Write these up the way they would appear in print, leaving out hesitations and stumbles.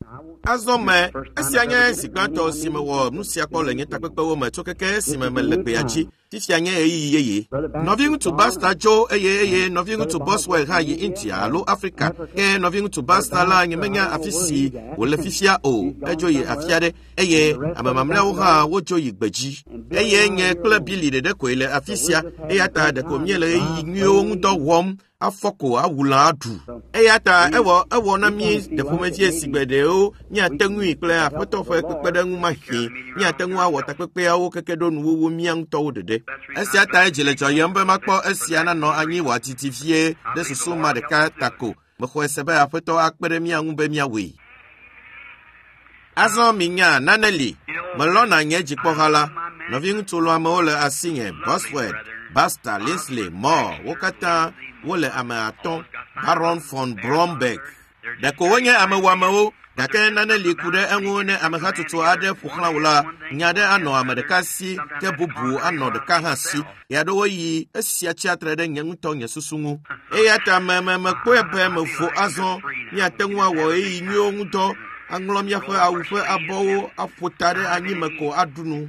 Azɔ me, esia nye zi gbãtɔ si mewɔ nu sia kpɔ le nye takpekpewo me tso keke esime mele gbea dzi. Fifia nye ɣeyiɣi yeye. Nɔviŋutsu Baxter dzo eye eye nɔviŋutsu Boswell hã yi India alo Afrika. Ke nɔviŋutsu Baxter la nyemenya afi si wòle fifia o. Edzo yi afi aɖe eye ame mamlɛawo hã wodzo yi gbedzi. Eye nye kple Billy ɖeɖe koe le afi sia eya ta ɖeko míele ɣeyiɣi nyuiwo ŋu dɔ wɔm afɔ ko awu lã aɖu. Eya ta ewɔ ewɔ na mí ɖe ƒomevie si gbe ɖewo míate ŋui kple aƒetɔ ƒe kpekpeɖeŋu mahĩ míate ŋu awɔ takpekpeawo keke ɖo nuwuwu mía ŋutɔwo ɖeɖe. Esia tae dzi le dzɔyem be makpɔ esia nanɔ anyi wòadidi vie ɖe susu ma ɖeka ta ko. Mexɔe se be aƒetɔ akpe ɖe mía ŋu be míawɔe. Azɔ minya nane li. Melɔ̃na nye dzikpɔha la. Nɔviŋutsu lɔ̃amewo le asinye, Bosworth, Baxter, Linsley, Moore, wo katã wole ame atɔ̃, Baron von Bromberg. Ɖeko wonye ame wɔamewo, gake nane li ku ɖe eŋu ne ame hatsotso aɖe ƒo xlã wò la, nya aɖe anɔ ame ɖeka si ke bubu anɔ ɖeka hã si. Ɣeaɖewoɣi esia tsia tre ɖe nye ŋutɔ nye susu ŋu. Eya ta me me mekpɔe be mevo azɔ. Míate ŋu awɔ ɣeyiɣi nyuiwo ŋu dɔ, aŋlɔ míaƒe awu ƒe abɔwo aƒo ta ɖe anyime ko aɖu nu.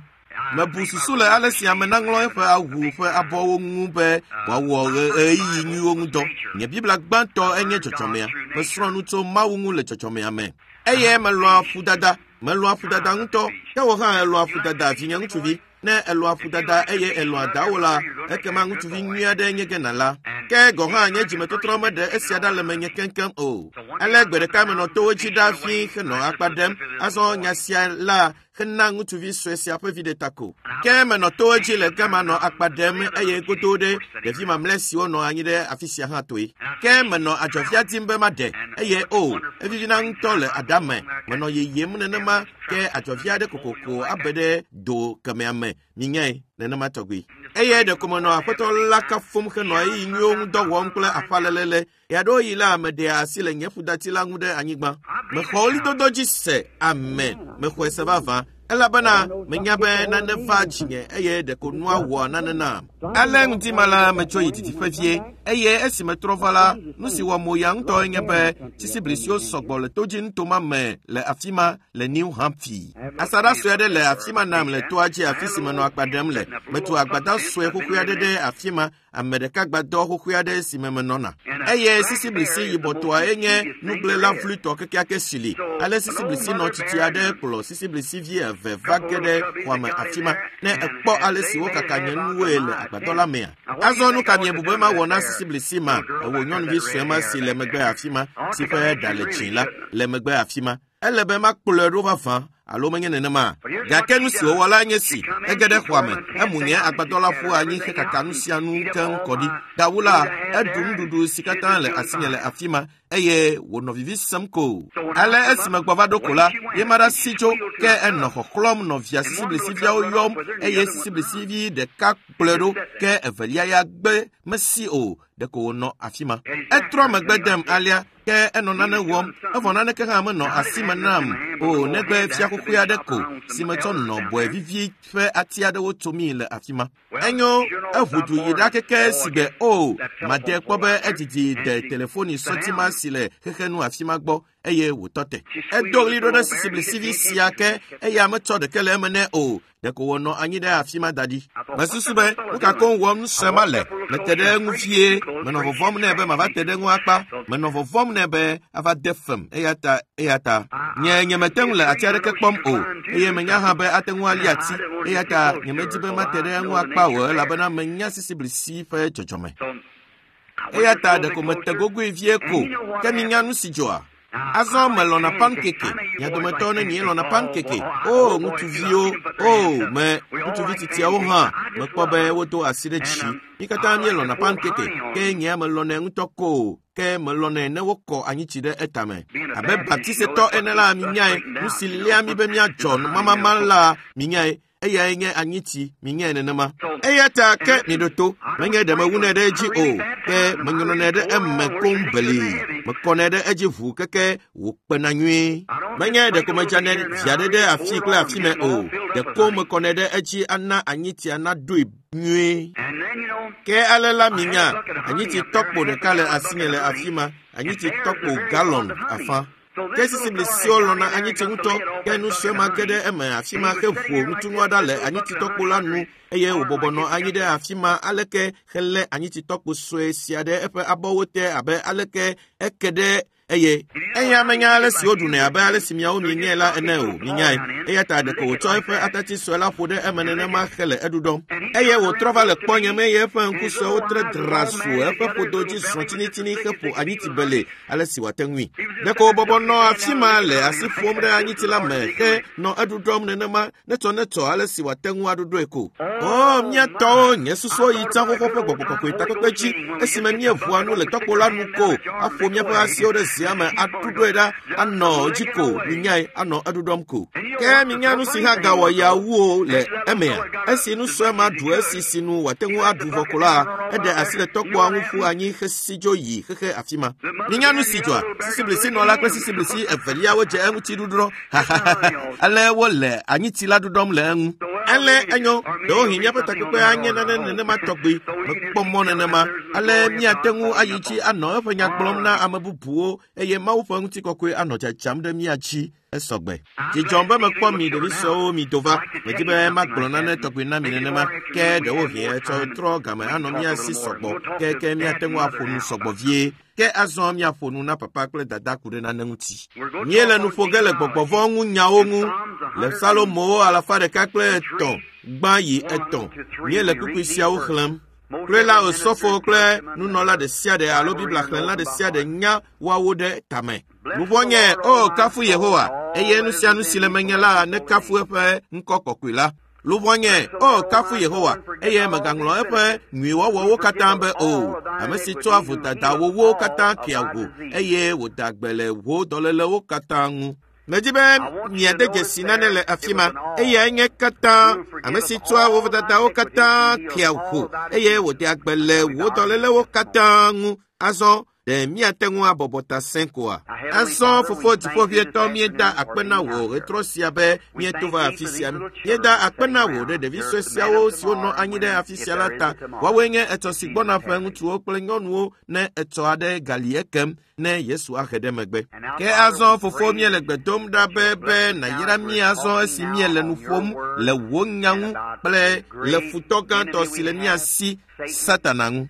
Mebu susu le ale si ame naŋlɔ eƒe awu ƒe abɔwo ŋu be wòawɔ ɣeyiɣi nyuiwo ŋu dɔ. Nye Biblia gbãtɔ enye dzɔdzɔmea. Mesrɔ̃ nu tso Mawu ŋu le dzɔdzɔmea me. Eye melɔ̃a ƒudada. Melɔ̃a ƒudada ŋutɔ. Ke wò hã èlɔ̃a ƒudada, vinye ŋutsuvi. Ne èlɔ̃a ƒudada eye èlɔ̃a dawò la, ekema ŋutsuvi nyui aɖe nye ge nàla. Ke gɔ̃ hã nye dzimetɔtrɔ meɖe esia ɖa le menye keŋkeŋ o. Ale gbe ɖeka menɔ towo dzi ɖaa fĩi henɔ akpa ɖem. Azɔ nya sia la hena ŋutsuvi sue sia ƒe viɖe ta ko. Ke menɔ towo dzi le gama nɔ akpa ɖem eye godo ɖe ɖevi mamlɛ siwo nɔ anyi ɖe afi sia hã toe. Ke menɔ adzɔvia dim be maɖe eye o, evivina ŋutɔ le ada me. Menɔ yeyem nenema ke adzɔvi aɖe kokoko abe ɖe do kemɛa me. Minyae nenema tɔgbi. Eye ɖeko menɔ aƒetɔ la kafum henɔ ɣeyiɣi nyuiwo ŋu dɔ wɔm kple aƒalelele. Ɣeaɖewoɣi la, meɖea asi le nye ƒudati la ŋu ɖe anyigba. Mexɔ ɣlidodo dzi se. Amen. Mexɔe se vavã. Elabena menya be nane va dzinye eye ɖeko nua wɔa nane nam. Ale ŋdi ma la, metso yi didiƒe vie eye esi metrɔ va la, nu si wɔ mo ya ŋutɔe nye be sisiblisiwo sɔgbɔ le todzi ma me le afi ma le New Hampshire. Asaɖa sue aɖe le afi ma nam le toa dzi afi si menɔ akpa ɖem le. Metu agbadɔ sue xoxoe aɖe ɖe afi ma, ame ɖeka gbadɔ xoxoe aɖe si me menɔna. Eye sisiblisi yibɔtɔa enye nugblẽla vluitɔ kekeake si li. Ale sisiblisi nɔ tsitsi aɖe kplɔ sisiblisi vi eve va ge ɖe xɔa me afi ma. Ne èkpɔ ale si wokaka nye nuwoe le agbadɔ la mea. Azɔ nu ka miebu be mawɔ na sisiblisi ma? Ewò nyɔnuvi sue ma si le megbe afi ma, si ƒe ɖa le dzĩ la, le megbe afi ma. Ele be makplɔe ɖo vavã alo menye nenema. Gake nu si wòwɔ la nye si, ege ɖe xɔa me, emu nye agbadɔ la ƒu anyi hekaka nu sia nu keŋ kɔ ɖi. Gawu la, eɖu nuɖuɖu si katã le asinye le afi ma eye wònɔ vivi sem ko. Ale esi megbɔ va ɖo ko la, ye ma ɖe asi tso, ke enɔ xɔxlɔ̃m nɔvia sisiblisiviawo yɔm eye sisiblisivi ɖeka kplɔe ɖo ke evelia ya gbe mesi o, ɖeko wònɔ afi ma. Etrɔ megbe dem alea ke enɔ nane wɔm evɔ naneke hã menɔ asi me nam o negbe fiakuku aɖe ko si metsɔ nɔ bɔe vivi ƒe ati aɖewo tsomii le afi ma. Enyo eʋu du yi ɖa keke si gbe o made kpɔ be edidi de telefoni sɔti ma si le xexe nu afi ma gbɔ eye wòtɔ te. Edo ɣli ɖo ɖe sisiblisivi sia ke eya metsɔ ɖeke le eme nɛ o. Ɖeko wònɔ anyi ɖe afi ma da ɖi. Mesusu be nu ka koŋ wɔm nusue ma le. Mete ɖe eŋu vie. Menɔ vɔvɔ̃m nɛ be mava te ɖe eŋu akpa. Menɔ vɔvɔ̃m nɛ be ava de fem eya ta eya ta. Nye nyemete ŋu le ati aɖeke kpɔm o eye menya hã be ate ŋu ali ati eya ta nyemedi be mate ɖe eŋu akpa o elabena menya sisiblisi ƒe dzɔdzɔme. Eya ta ɖeko mete gogoe vie ko ke minya nu si dzɔa. Azɔ melɔ̃na pankeke. Mia dometɔ ne mielɔ̃na pankeke. O ŋutsuviwo, o me ŋutsuvi tsitsiawo hã mekpɔ be wodo asi ɖe dzi. Mí katã míelɔ̃na pankeke ke nyea melɔ̃nɛ ŋutɔ ko ke melɔ̃nɛ ne wokɔ anyitsi ɖe etame. Abe baptisetɔ ene la minyae nu si léa mí be míadzɔ mamama la minyae eyae nye anyitsi minyae nenema. Eya ta ke miɖo to menye ɖe mewunɛ ɖe edzi o ke menyrɔnɛ ɖe eme koŋ belii. Mekɔnɛ ɖe edzi ʋuu keke wòkpena nyuie. Menye ɖeko medzanɛ vi aɖe ɖe afi kple afi me o ɖeko mekɔnɛ ɖe edzi ana anyitsia naɖoe nyuie. Ke ale la minya anyitsi tɔkpo ɖeka le asinye le afi ma anyitsi tɔkpo galɔn afã. Ke sisiblisiwo lɔ̃na anyitsi ŋutɔ, ke nu sue ma ge ɖe eme afi ma heƒo ŋutinua ɖa le anyitsitɔkpo la nu eye wòbɔbɔ nɔ anyi ɖe afi ma aleke helé anyitsitɔkpo sue sia ɖe eƒe abɔwo te abe aleke eke ɖe eye eya menya ale si woɖunɛ abe ale si miawo mienyae la ene o, minyae. Eya ta ɖeko wòtsɔ eƒe atatsi sue la ƒo ɖe eme nenema hele eɖuɖɔm. Eye wòtrɔ va le kpɔnye me eye eƒe ŋku suewo tre drasu eƒe ƒodo dzi zrɔ̃ tsinitsini heƒo anyitsi bele ale si wòate ŋui. Ɖeko wòbɔbɔ nɔ afi ma le asi ƒom ɖe anyitsi la me he nɔ eɖuɖɔm nenema netsɔ ale si wòate ŋu aɖuɖɔe ko. O, mía tɔwo, nye susuwo yi tsã xoxo ƒe gbɔgbɔ kɔkɔe takpekpe dzi esime míeʋua nu le tɔkpo la nu ko aƒo míaƒe asiwo ɖe zea me aɖuɖɔe ɖa anɔ dzi ko, minyae, anɔ eɖuɖɔm ko. Ke minya nu si hã gawɔ ya wu o le emea. Esi nu sue ma ɖu esi si nu wòate ŋu aɖu vɔ ko la, eɖe asi le tɔkpoa ŋu ƒu anyi xesi dzo yi xexe afi ma. Minya nu si dzɔa? Sisiblisinɔla kple sisiblisi eveliawo dze eŋuti ɖuɖɔ. Ale wole anyitsi la ɖuɖɔm le eŋu. Ale enyo, ɖewohĩ míaƒe takpekpe anye nane nenema tɔgbi. Mekpɔ mɔ nenema. Ale míate ŋu ayi dzi anɔ eƒe nya gblɔm na ame bubuwo eye Mawu ƒe ŋutikɔkɔe anɔ dzadzam ɖe mía dzi esɔgbe. Dzidzɔm be mekpɔ mi ɖevi suewo mi do va. Medi be magblɔ nane tɔgbi na mi nenema, ke ɖewohĩ etsɔ trɔ game anɔ mía si sɔgbɔ, ke míate ŋu aƒo nu sɔgbɔ vie. Ke azɔ míaƒo nu na papa kple dada ku ɖe nane ŋuti. Míele nu ƒo ge le gbɔgbɔvɔ ŋu nyawo ŋu le Salomowo 103 gbã yi 3. Míele kpukpui siawo xlẽm. Kloe la osɔfo kple nunɔla ɖe sia ɖe alo Biblia xlẽla ɖe sia ɖe nya woawo ɖe tame. Luʋɔnye, o kafu Yehowa, eye nu sia nu si le menye la nekafu eƒe ŋkɔ kɔkɔe la. Luʋɔnye, o kafu Yehowa, eye megaŋlɔ eƒe nyuiwɔwɔwo katã be o. Ame si tsɔa vodadawowo katã kea wò, eye wòda gbe le wò dɔlélewo katã ŋu. Medi be miade dzesi nane le afi ma, eyae nye katã ame si tsɔa wò vodadawo katã kea wò, eye wòdea gbe le wò dɔlélewo katã ŋu. Azɔ ɖe míate ŋu abɔbɔ ta sẽ koa? Azɔ fofo dziƒoʋĩtɔ, míeda akpe na wò ɣetrɔ sia be míeto va afi sia. Míeda akpe na wò ɖe ɖevi sue siawo siwo nɔ anyi ɖe afi sia la ta. Woawoe nye etsɔ si gbɔna ƒe ŋutsuwo kple nyɔnuwo ne etsɔ aɖe gali ekem ne Yesu ahe ɖe megbe. Ke azɔ fofo míele gbe dom ɖa be nàyra mí azɔ esi míele nu ƒom le wò nya ŋu kple le futɔ gãtɔ si le mía si, Satana ŋu.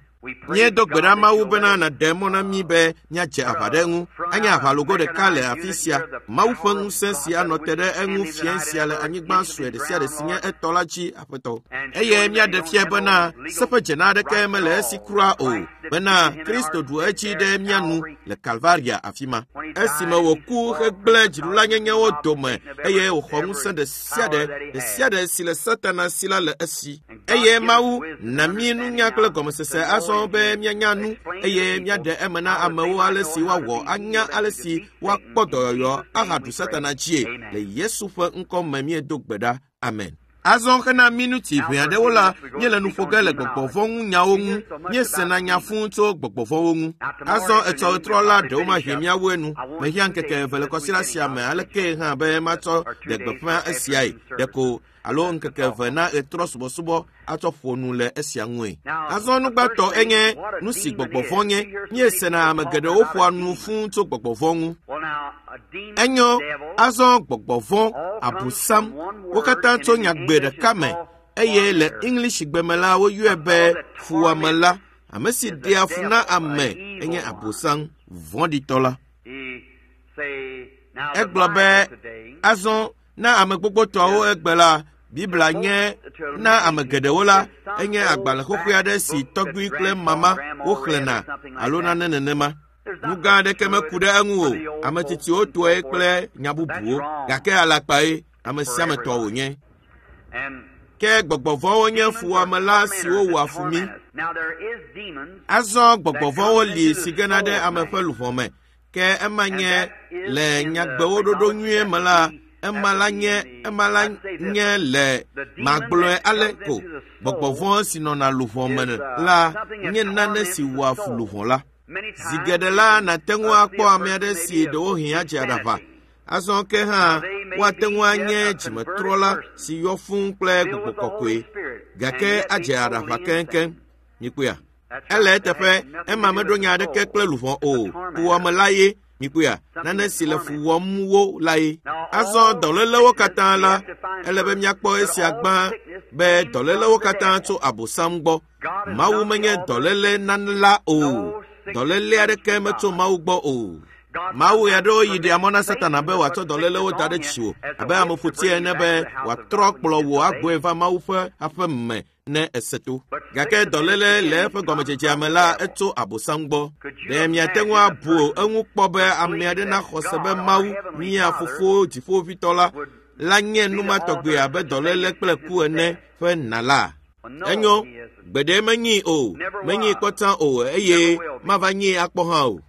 Míedo gbe ɖa Mawu bena nàɖe mɔ na mí be míadze aʋa ɖe eŋu. Anye aʋalogo ɖeka le afi sia. Mawu ƒe ŋusẽ si anɔ te ɖe eŋu fiẽ sia le anyigba sue ɖe sia ɖe si nye etɔ la dzi, Aƒetɔ. Eye míaɖe fia bena seƒe dzena aɖeke mele esi kura o, bena Kristo ɖu edzi ɖe mía nu le Kalvaria afi ma. Esime wòku hegblẽ dziɖulanyenyewo dome eye wòxɔ ŋusẽ ɖe sia ɖe sia ɖe si le Satana si la le esi. Eye Mawu na mí nunya kple gɔmesese azɔ be míanya nu eye míaɖe eme na amewo ale si woawɔ anya ale si woakpɔ dɔyɔyɔ ahaɖu Satana dzie. Le Yesu ƒe ŋkɔ me míedo gbe ɖa. Amen. Azɔ hena minuti ʋɛ aɖewo la, míele nu ƒo ge le gbɔgbɔvɔ ŋu nyawo ŋu. Míesena nya fũu tso gbɔgbɔvɔwo ŋu. Azɔ etsɔ ɣetrɔ la ɖewo mahĩ míawoe nu. Mehiã ŋkeke eve le kɔsiɖa sia me aleke hã be matsɔ ɖe gbeƒã esiae. Ɖeko alo ŋkeke eve na ɣetrɔ subɔsubɔ atsɔ ƒo nu le esia ŋue. Azɔ nugbãtɔ enye nu si gbɔgbɔvɔ nye. Míesena ame geɖewo ƒoa nu fũu tso gbɔgbɔvɔ ŋu. Enyo, azɔ gbɔgbɔvɔ, abosam, wo katã tso nyagbe ɖeka me eye le English gbe me la woyɔe be fuwɔamela. Ame si ɖea fu na ame enye abosam vɔ̃ɖitɔ la. Egblɔ be azɔ na ame gbogbotɔwo egbe la, Biblia nye na ame geɖewo la enye agbalẽ xoxoe aɖe si tɔgbui kple mama woxlẽna alo nane nenema. Nu gã aɖeke meku ɖe eŋu o. Ame tsitsiwo tɔe kple nya bubuwo, gake alakpae ame sia ame tɔ wònye. Ke gbɔgbɔvɔwo nye fuwɔamela siwo wɔa fu mí. Azɔ gbɔgbɔvɔwo li si gena ɖe ame ƒe luʋɔ me. Ke ema nye le nyagbewo ɖoɖo nyuie me la, ema la nye le magblɔe ale ko. Gbɔgbɔvɔ si nɔna luʋɔ me la nye nane si wɔa fu luʋɔ la. Zi geɖe la, nàte ŋu akpɔ ame aɖe si ɖewohĩ adze aɖaʋa. Azɔ ke hã woate ŋu anye dzimetrɔla si yɔ fũu kple gbɔgbɔ kɔkɔe, gake adze aɖaʋa keŋkeŋ. Mikpɔea? Ele eteƒe, ema meɖo nya aɖeke kple luʋɔ o. Fuwɔamela ye. Mikpɔea, nane si le fu wɔm wo lae. Azɔ dɔlélewo katã la, ele be míakpɔ esia gbã be dɔlélewo katã tso Abosam gbɔ. Mawu menye dɔléle nana o. Dɔléle aɖeke metso Mawu gbɔ o. Mawu ya ɖewo yi ɖea mɔ na Satana be wòatsɔ dɔlélewo da ɖe dziwò abe ameƒoti ene be wòatrɔ kplɔ wò agbɔe va Mawu ƒe aƒe me ne ese to. Gake dɔléle le eƒe gɔmedzedzea me la etso Abosam gbɔ. Ɖe miate ŋu abu eŋu kpɔ be ame aɖe naxɔ se be Mawu, mía Fofo Dziƒoʋĩtɔ la, la nye nu ma tɔgbi abe dɔléle kple ku ene ƒe nala? Enyo, gbeɖe menyii o, menyii kpɔtã o eye mava nyii akpɔ hã o.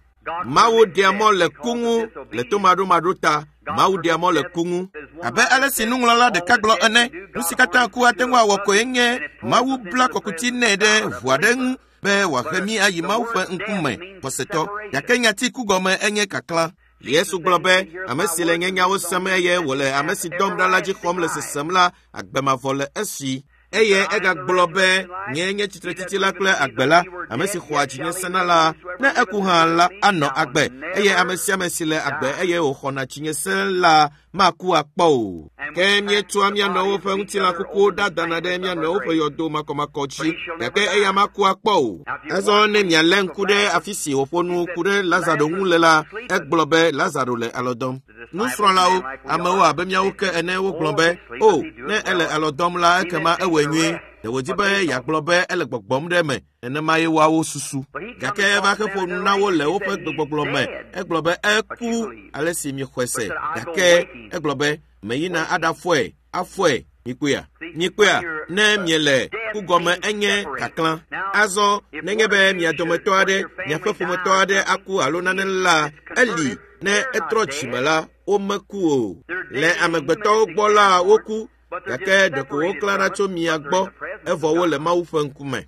Mawu ɖea mɔ le ku ŋu le tomaɖomaɖo ta. Mawu ɖea mɔ le ku ŋu. Abe ale si nuŋlɔla ɖeka gblɔ ene, nu si katã ku ate ŋu awɔ koe nye Mawu bla kɔkuti nɛ ɖe ʋu aɖe ŋu be wòahe mí ayi Mawu ƒe ŋkume xɔsetɔ. Gake nyati ku gɔme enye kaklã. Yesu gblɔ be, ame si le nye nyawo sem eye wòle ame si dɔm ɖa la dzi xɔm le sesem la, agbe mavɔ le esi. Eye egagblɔ be, nye nye tsitretsitsi la kple agbe la, ame si xɔa dzinye sena la, ne eku hã la, anɔ agbe. Eye ame sia ame si le agbe eye wòxɔna dzinye se la, maku akpɔ o. Ke míetsɔa mía nɔewo ƒe ŋutilã kukuwo ɖa dana ɖe mía nɔewo ƒe yɔdo makɔmakɔ dzi, gake eya maku akpɔ o. Azɔ ne mialé ŋku ɖe afi si wòƒo nu ku ɖe Lazaro ŋu le la, egblɔ be Lazaro le alɔ dɔm. Nusrɔ̃lawo, amewo abe míawo ke ene wogblɔ be, o, ne ele alɔ dɔm la, ekema ewɔe nyuie. Ɖe wòdi be yeagblɔ be ele gbɔgbɔm ɖe eme, nenema ye woawo susu. Gake eva heƒo nu na wo le woƒe gbegbɔgblɔ me. Egblɔ be eku ale si miexɔe se. Gake egblɔ be meyina aɖafɔe, afɔe. Mikpɔea? Mikpɔea? Ne miele ku gɔme enye kaklã. Azɔ nenye be mia dometɔ aɖe, miaƒe ƒometɔ aɖe aku alo nane la, eli ne etrɔ dzime la, womeku o. Le amegbetɔwo gbɔ la, woku, gake ɖeko woklãna tso mia gbɔ evɔ wole Mawu ƒe ŋkume.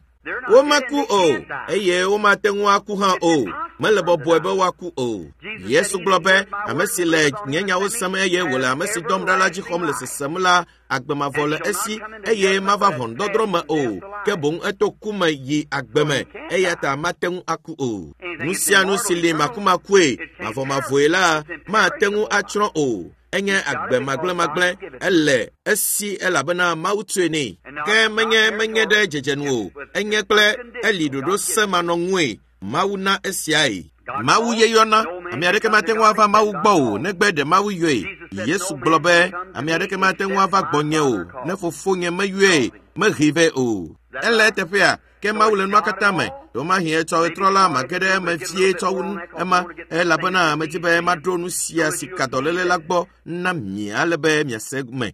Womeku o, eye womate ŋu aku hã o. Mele bɔbɔe be woaku o. Yesu gblɔ be, ame si le nye nyawo sem eye wòle ame si dɔm ɖa la dzi xɔm le sesem la, agbe mavɔ le esi eye mava ʋɔnudɔdrɔ̃ me o, ke boŋ eto ku me yi agbe me, eya ta mate ŋu aku o. Nu sia nu si li makumakue, mavɔmavɔe la, mate ŋu atsrɔ̃ o. Enye agbe magblẽmagblẽ, ele esi elabena Mawu tsoe nɛ. Ke menye menye ɖe dzedzenu o, enye kple eli ɖoɖo se manɔŋue Mawu na esiae. Mawu ye yɔna, ame aɖeke mate ŋu ava Mawu gbɔ o, negbe ɖe Mawu yɔe. Yesu gblɔ be, ame aɖeke mate ŋu ava gbɔnye o, ne fofonye meyɔe, mehee vɛ o. Ele eteƒea, ke Mawu le nua katã me. Ɖewomahi etsɔ ɣetrɔ la mage ɖe eme vie tsɔ wu ema, elabena medi be maɖo nu sia si ka dɔléle la gbɔ na mi ale be miase me.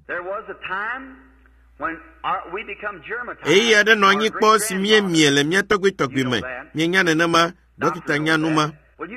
Ɣeyiɣi aɖe nɔ anyi kpɔ si míemie le mía tɔgbuitɔgbui me. Mienya nenema, dɔkita nya nu ma.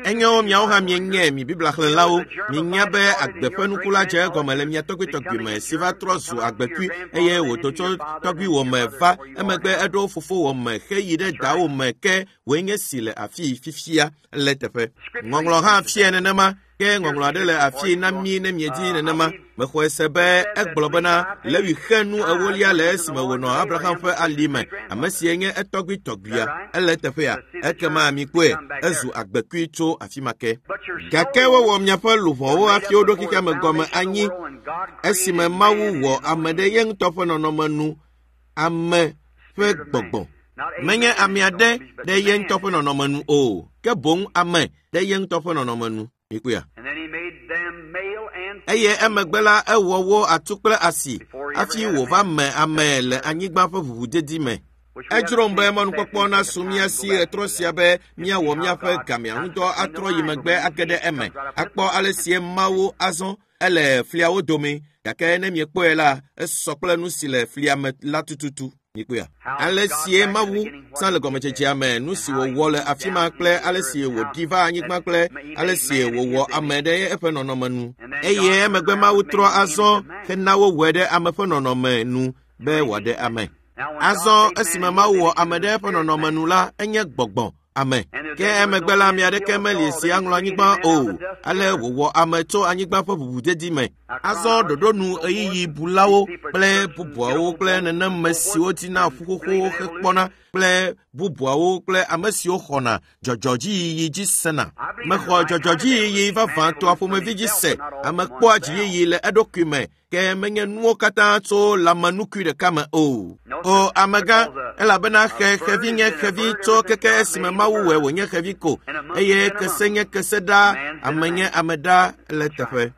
Enyo miawo hã mienye mi Biblia xlẽlawo, mienya be agbe ƒe nuku la dze egɔme le mia tɔgbuitɔgbui me si va trɔ zu agbekui eye wòdo tso tɔgbuiwò me va emegbe eɖo fofowò me heyi ɖe dawò me ke wòe nye si le afii fifia le teƒe. Ŋɔŋlɔ hã fia nenema, ke ŋɔŋlɔ aɖe le afii na mí ne miedi nenema. Mexɔe se be egblɔ bena Lewi xe nu ewolia le esime wònɔ Abraham ƒe ali me, ame sie nye etɔgbuitɔgbuia. Ele eteƒea, ekema mikpɔe, ezu agbekui tso afi ma ke. Gake wowɔ miaƒe luʋɔwo hafi woɖo xexea me gɔme anyi esime Mawu wɔ ame ɖe ye ŋutɔ ƒe nɔnɔme nu, ame ƒe gbɔgbɔ. Menye ame aɖe ɖe ye ŋutɔ ƒe nɔnɔme nu o, ke boŋ ame ɖe ye ŋutɔ ƒe nɔnɔme nu. Mikpɔea? Eye emegbe la ewɔ wo atu kple asi hafi wòva me ame le anyigba ƒe ʋuʋudedi me. Edzrom be mɔnukpɔkpɔ nasu mía si ɣetrɔ sia be míawɔ míaƒe gamea ŋudɔ atrɔ yi megbe age ɖe eme, akpɔ ale sie Mawu azɔ ele fliawo dome, gake ne miekpɔe la, esɔ kple nu si le flia me la tututu. Mikpɔea? Ale sie Mawu sã le gɔmedzedzea me, nu si wòwɔ le afi ma kple ale si wòɖi va anyigba kple ale si wòwɔ ame ɖe eƒe nɔnɔme nu. Eye emegbe Mawu trɔ azɔ hena wowɔe ɖe ame ƒe nɔnɔme nu be wòaɖe ame. Azɔ esime Mawu wɔ ame ɖe eƒe nɔnɔme nu la, enye gbɔgbɔ ame. Ke emegbe la, ame aɖeke meli si aŋlɔ anyigba o. Ale wòwɔ ame tso anyigba ƒe ʋuʋudedi me. Azɔ ɖoɖo nu ɣeyiɣi bulawo kple bubuawo kple neneme siwo dina ƒu xoxowo hekpɔna. kple bubuawo kple ame siwo xɔna dzɔdzɔdziyiyi dzi sena. Mexɔ dzɔdzɔdziyiyi vavãtɔa ƒomevi dzi se. Ame kpɔa dziyiyi le eɖokui me ke menye nuwo katã tso lãmenukui ɖeka me o. O amegã, elabena xevi nye xevi tso keke esime Mawu wɔe wònye xevi ko, eye kese nye kese ɖaa, ame nye ame ɖaa le teƒe.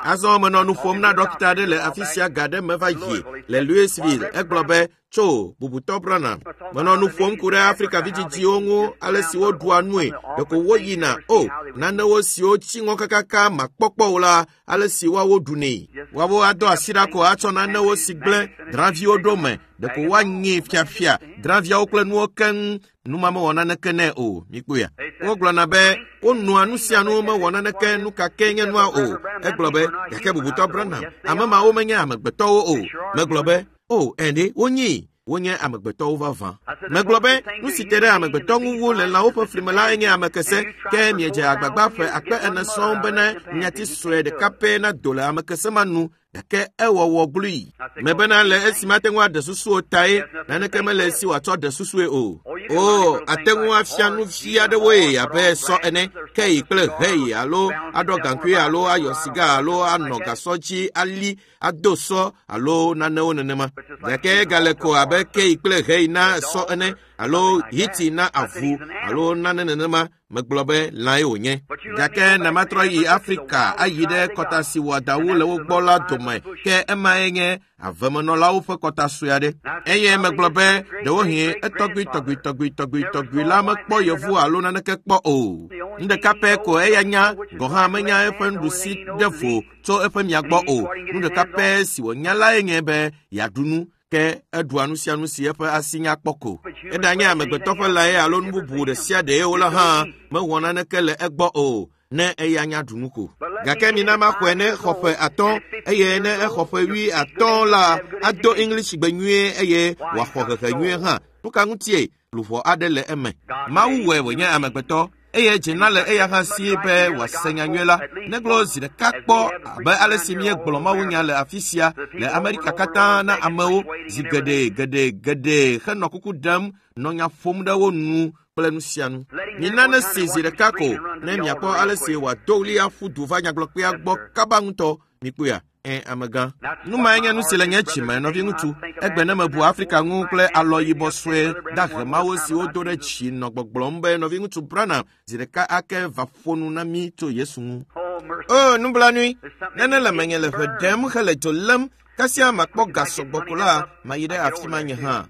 Azɔ menɔ nu ƒom na ɖɔkita aɖe le afi sia ga ɖe me va yi le Louisville. Egblɔ be, tso bubutɔ Branham. Menɔ nu ƒom ku ɖe Afrika vidzidziwo ŋu ale si woɖua nue, ɖeko woyina o nanewo siwo tsi ŋɔ kakaka makpɔkpɔ o la, ale si woawo ɖunɛ. Woawo ado asi ɖa ko atsɔ nanewo si gblẽ drãviwo ɖo me, ɖeko woanyi fiafia drãviawo kple nuwo keŋ. Numa mewɔ naneke nɛ o, mikpɔea. Wogblɔna be wonɔa nu sia nu mewɔ naneke nu ka ke nye nua o. Egblɔ be gake bubutɔ Branham, ame mawo menye amegbetɔwo o. Megblɔ be o ɛnɛ wonyee, wonye amegbetɔwo vavã. Megblɔ be nu si te ɖe amegbetɔ ŋu wu le lãwo ƒe flime la enye amekese, ke miedze agbagba ƒe akpe ene sɔŋ bene nyati sue ɖeka pɛ nado le amekese ma nu, gake ewɔwɔ glui. Mebena le esi mate ŋu aɖe susu o tae naneke mele esi wòatsɔ ɖe susue o. O, ate ŋu afia nu vi aɖewoe abe sɔ ene, keyi kple heyi alo aɖɔ gaŋkui alo ayɔ siga alo anɔ gasɔ dzi ali ado sɔ alo nanewo nenema. Gake egale ko abe keyi kple heyi na sɔ ene alo hiti na avu alo nane nenema. Megblɔ be lãe wònye. Gake ne matrɔ yi Afrika ayi ɖe kɔta si wɔadawu le wo gbɔ la dome, ke emae nye avemenɔlawo ƒe kɔta sue aɖe. Eye megblɔ be ɖewohĩ etɔgbui tɔgbui tɔgbui tɔgbui tɔgbui la mekpɔ yevu alo naneke kpɔ o. Nu ɖeka pɛ ko eya nya gɔ̃ hã menya eƒe nuɖusi ɖe vo tso eƒe mia gbɔ o. Nu ɖeka pɛ si wònya lae nye be yeaɖu nu, ke eɖua nu sia nu si eƒe asi nya kpɔ ko. Eɖanye amegbetɔ ƒe lãe alo nu bubu ɖe sia ɖee o la hã mewɔ naneke le egbɔ o, ne eya nya ɖu nu ko. Gake mina maxɔe ne exɔ ƒe 5, eye ne exɔ ƒe 50 la, ado English gbe nyuie eye wòaxɔ hehe nyuie hã. Nu ka ŋutie luʋɔ aɖe le eme? Mawu wɔe wònye amegbetɔ, eye dzena le eya hã si be wòase nya nyuie la. Negblɔ zi ɖeka kpɔ abe ale si míegblɔ mawunya le afi sia le Amerika katã na amewo zi geɖe geɖe geɖe henɔ kuku ɖem nɔ nya ƒom ɖe wo nu kple nu sia nu. Mina ne si zi ɖeka ko ne miakpɔ ale si wòado ɣli aƒu du va nyagblɔkpea gbɔ kaba ŋutɔ. Mikpɔea? Ẽ, amegã. Nu mae nye nu si le nye dzime, nɔviŋutsu. Egbe ne mebu Afrika ŋu kple alɔ yibɔ sue dahe mawo siwo do ɖe dzi nɔ gbɔgblɔm be nɔviŋutsu Branham zi ɖeka ake va ƒo nu na mí tso Yesu ŋu. O, nublanui! Nane le menye le ʋe ɖem hele dzo lém, kasia makpɔ ga sɔgbɔ ko la, mayi ɖe afi ma nye hã.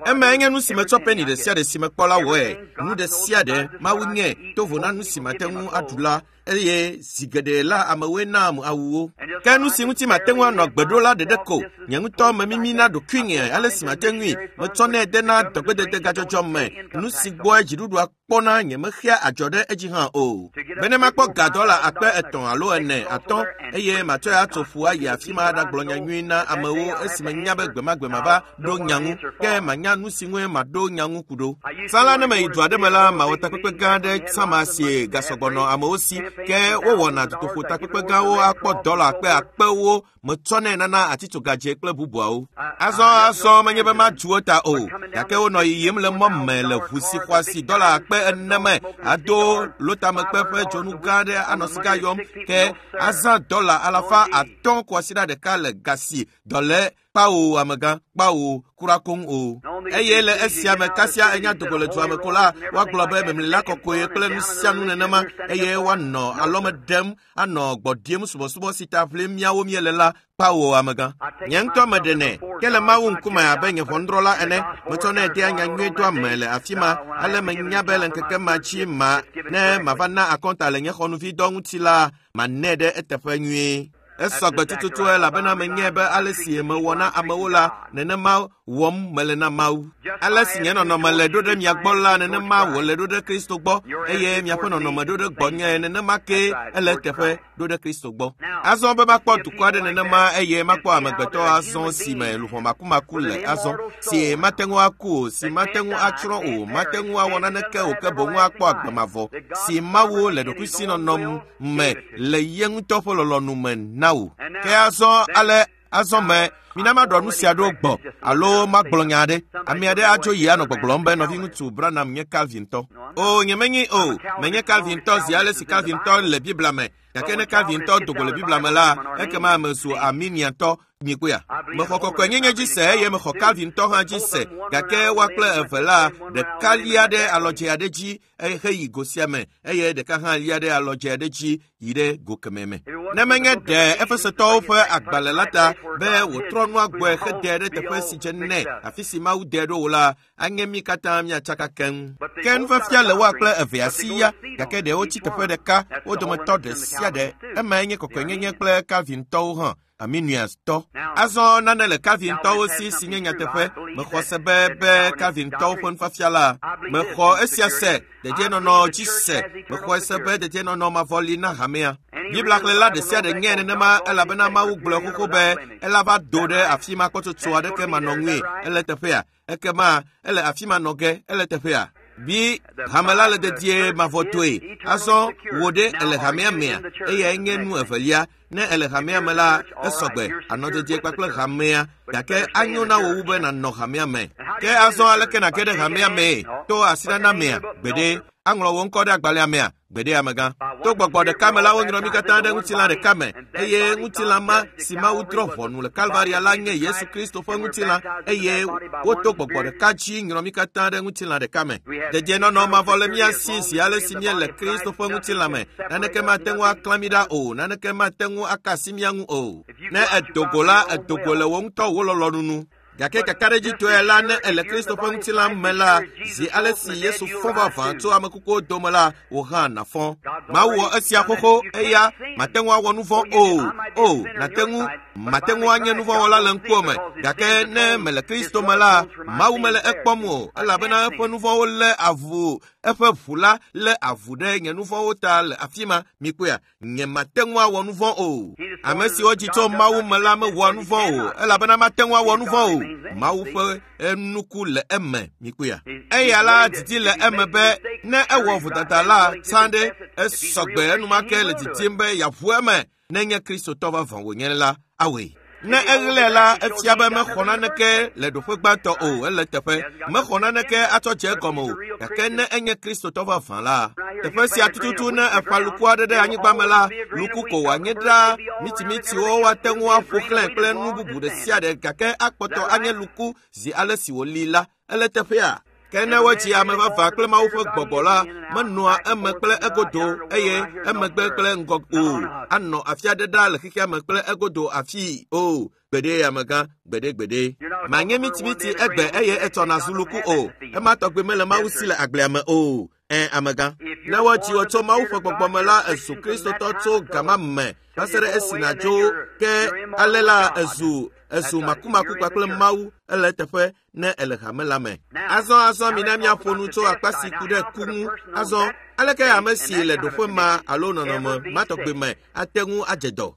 Emae nye nu si metsɔ peni ɖe sia ɖe si mekpɔ la wɔe. Nu ɖe sia ɖe Mawu nye tovo na nu si mate ŋu aɖu la, eye zi geɖe la amewoe naam awuwo. Ke nu si ŋuti mate ŋu anɔ agbe ɖo la ɖeɖe ko, nye ŋutɔ memimi na ɖokuinye ale si mate ŋui, metsɔnɛ dena dɔgbedede gadzɔdzɔ me, nu si gbɔe dziɖuɖua kpɔna nye mexea adzɔ ɖe edzi hã o. Bene makpɔ ga dɔla 300 alo 4, 5, eye matsɔe atso ƒu ayi afi ma aɖagblɔ nya nyui na amewo esime nya be gbemagbe mava ɖo nya ŋu, ke manya nu si ŋue maɖo nya ŋu ku ɖo. Tsã la ne meyi du aɖe me la, mawɔ takpekpe gã aɖe tsã si gasɔgbɔ nɔ amewo si, ke wowɔna dutoƒo takpekpe gãwo akpɔ dɔla akpe akpewo metsɔnɛ nana atitsogadze kple bubuawo. Azɔ menye be madzu wo ta o, gake wonɔ yiyim le mɔ me le ʋu si xɔasi dɔla 4,000 me ado lotamekpe ƒe dzonu gã aɖe anɔ sika yɔm, ke azã dɔla 500 kwasiɖa ɖeka le ga si dɔle kpawo amegã kpawo kura koŋ o. Eye le esia me kasia enya dogo le dua me ko la, woagblɔ be memlila kɔkɔe kple nu sia nu nenema, eye woanɔ alɔme ɖem anɔ gbɔ ɖiem subɔsubɔ si ta ʋlim míawo míele la kpawo amegã. Nye ŋutɔ meɖenɛ ke le Mawu ŋkume abe nye ʋɔnudrɔ̃la ene, metsɔnɛ dea nya nyui doa me le afi ma, ale menya be le ŋkeke ma dzi ma ne mava na akɔnta le nye xɔnuvidɔ ŋuti la, manɛ ɖe eteƒe nyuie. Esɔgbe tututu elabena menyae be ale si mewɔ na amewo la, nenema wɔm mele na Mawu. Ale si nye nɔnɔme le ɖo ɖe mia gbɔ la, nenema wòle ɖo ɖe Kristo gbɔ, eye miaƒe nɔnɔme ɖo ɖe gbɔnye, nenema ke ele eteƒe ɖo ɖe Kristo gbɔ. Azɔ be makpɔ dukɔ aɖe nenema, eye makpɔ amegbetɔ azɔ si me luʋɔ makumaku le azɔ, si mate ŋu aku o, si mate ŋu atsrɔ̃ o, mate ŋu awɔ naneke o, ke boŋ akpɔ agbe mavɔ, si Mawu le ɖokuisinɔnɔ me le ye ŋutɔ ƒe lɔlɔ̃nu me na wò. Ke azɔ ale azɔ me Mina maɖɔ nu sia ɖo gbɔ alo magblɔ nya aɖe. Ame aɖe atso yi anɔ gbɔgblɔm be nɔviŋutsu Branham nye Calvintɔ. O, nyemenyi o, menye Calvintɔ zi ale si Calvintɔ le Biblia me. Gake ne Calvintɔ do go le Biblia me la, ekema ame zu Arminiantɔ. Mikpɔea? Mexɔ kɔkɔenyenye dzi se eye mexɔ Calvintɔ hã dzi se, gake woa kple eve la, ɖeka lia ɖe alɔdze aɖe dzi heyi go sia me eye ɖeka hã lia ɖe alɔdze aɖe dzi yi ɖe go kemɛ me. Ne menye ɖe Efesetɔwo ƒe agbalẽ la ta be wòtrɔ nua gbɔe hede ɖe teƒe si dze nɛ, afi si Mawu de ɖo o la, anye mí katã míatsaka keŋ. Ke nufiafia le woa kple evea si ya, gake ɖe wotsi teƒe ɖeka, wo dometɔ ɖe sia ɖe. Emae nye kɔkɔenyenye kple Calvintɔwo hã. Arminiustɔ. Azɔ nane le Calvintɔwo si si nye nyateƒe. Mexɔ se be be Calvintɔwo ƒe nufiafia la. Mexɔ esia se, dedienɔnɔ dzi se. Mexɔe se be dedienɔnɔ mavɔ li na hamea. Biblia xlẽla ɖe sia ɖe nyae nenema elabena Mawu gblɔe xoxo be ela va do ɖe afi ma kpɔtsotso aɖeke manɔ ŋui. Ele teƒea. Ekema ele afi ma nɔ ge. Ele teƒea. Bi hame la le dedie mavɔtɔe. Azɔ wò ɖe ele hamea mea? Eyae nye nu evelia. Ne ele hamea me la, esɔgbe anɔ dedie kpakple hamea, gake anyo na wò wu be nànɔ hamea me. Ke azɔ aleke nàge ɖe hamea mee? To asinana mea? Gbeɖe. Aŋlɔ wò ŋkɔ ɖe agbalẽa mea? Gbeɖe amegã. To gbɔgbɔ ɖeka me la, wonyrɔ mí katã ɖe ŋutilã ɖeka me, eye ŋutilã ma si Mawu drɔ̃ ʋɔnu le Kalvaria la nye Yesu Kristo ƒe ŋutilã, eye woto gbɔgbɔ ɖeka dzi nyrɔ mí katã ɖe ŋutilã ɖeka me. Dedienɔnɔ mavɔ le mía si zi ale si míele Kristo ƒe ŋutilã me. Naneke mate ŋu aklã mí ɖa o, naneke mate ŋu aka asi mía ŋu o. Ne èdo go la, èdo go le wò ŋutɔ wò lɔlɔ̃nu nu. Gake kakaɖedzitɔe la, ne èle Kristo ƒe ŋutilã me la, zi ale si Yesu fɔ vavã tso ame kukuwo dome la, wò hã nàfɔ. Mawu wɔ esia xoxo, eya mate ŋu awɔ nu vɔ̃ o. O, nàte ŋu, mate ŋu anye nu vɔ̃wɔla le ŋkuwò me. Gake ne mele Kristo me la, Mawu mele ekpɔm o, elabena eƒe nu vɔ̃wo lé avu, eƒe ʋu la lé avu ɖe nye nu vɔ̃wo ta le afi ma. Mikpɔea? Nye mate ŋu awɔ nu vɔ̃ o. Ame siwo dzi tso Mawu me la mewɔa nu vɔ̃ o, elabena mate ŋu awɔ nu vɔ̃ o. Mawu ƒe nuku le eme, mikpɔea? Eya la didi le eme be ne ewɔ vodada la tsã ɖe, esɔgbe enumake le didim be yeaʋu eme. Nenye Kristotɔ vavã wònye la, awɔe. Ne eɣlae la, efia be mexɔ naneke le ɖoƒe gbãtɔ o, ele teƒe. Mexɔ naneke atsɔ dze egɔme o. Gake ne enye Kristotɔ vavã la, teƒe sia tututu ne eƒã luku aɖe ɖe anyigba me la, luku ko wòanye ɖaa. Mitimitiwo woate ŋu aƒo xlãe kple nu bubu ɖe sia ɖe gake akpɔtɔ anye luku zi ale si wòli la. Ele teƒea. Ke ne wodzi ame vavã kple Mawu ƒe gbɔgbɔ la, menɔa eme kple egodo eye emegbe kple ŋgɔ o. Anɔ afi aɖe ɖaa le xexea me kple egodo afii o. Gbeɖe amegã, gbeɖe gbeɖe. Manye mitimiti egbe eye etsɔ nazu luku o. Ema tɔgbi mele Mawu si le agblea me o. Ẽ, amegã. Ne wodzi wò tso Mawu ƒe gbɔgbɔ me la, èzu Kristotɔ tso gama me va se ɖe esi nàdzo. Ke ale la, èzu, èzu makumaku kpakple Mawu. Ele eteƒe ne ele hame la me. Azɔ, azɔ mina míaƒo nu tso akpa si ku ɖe ku ŋu. Azɔ, aleke ame si le ɖoƒe ma alo nɔnɔme ma tɔgbi me ate ŋu adze dɔ?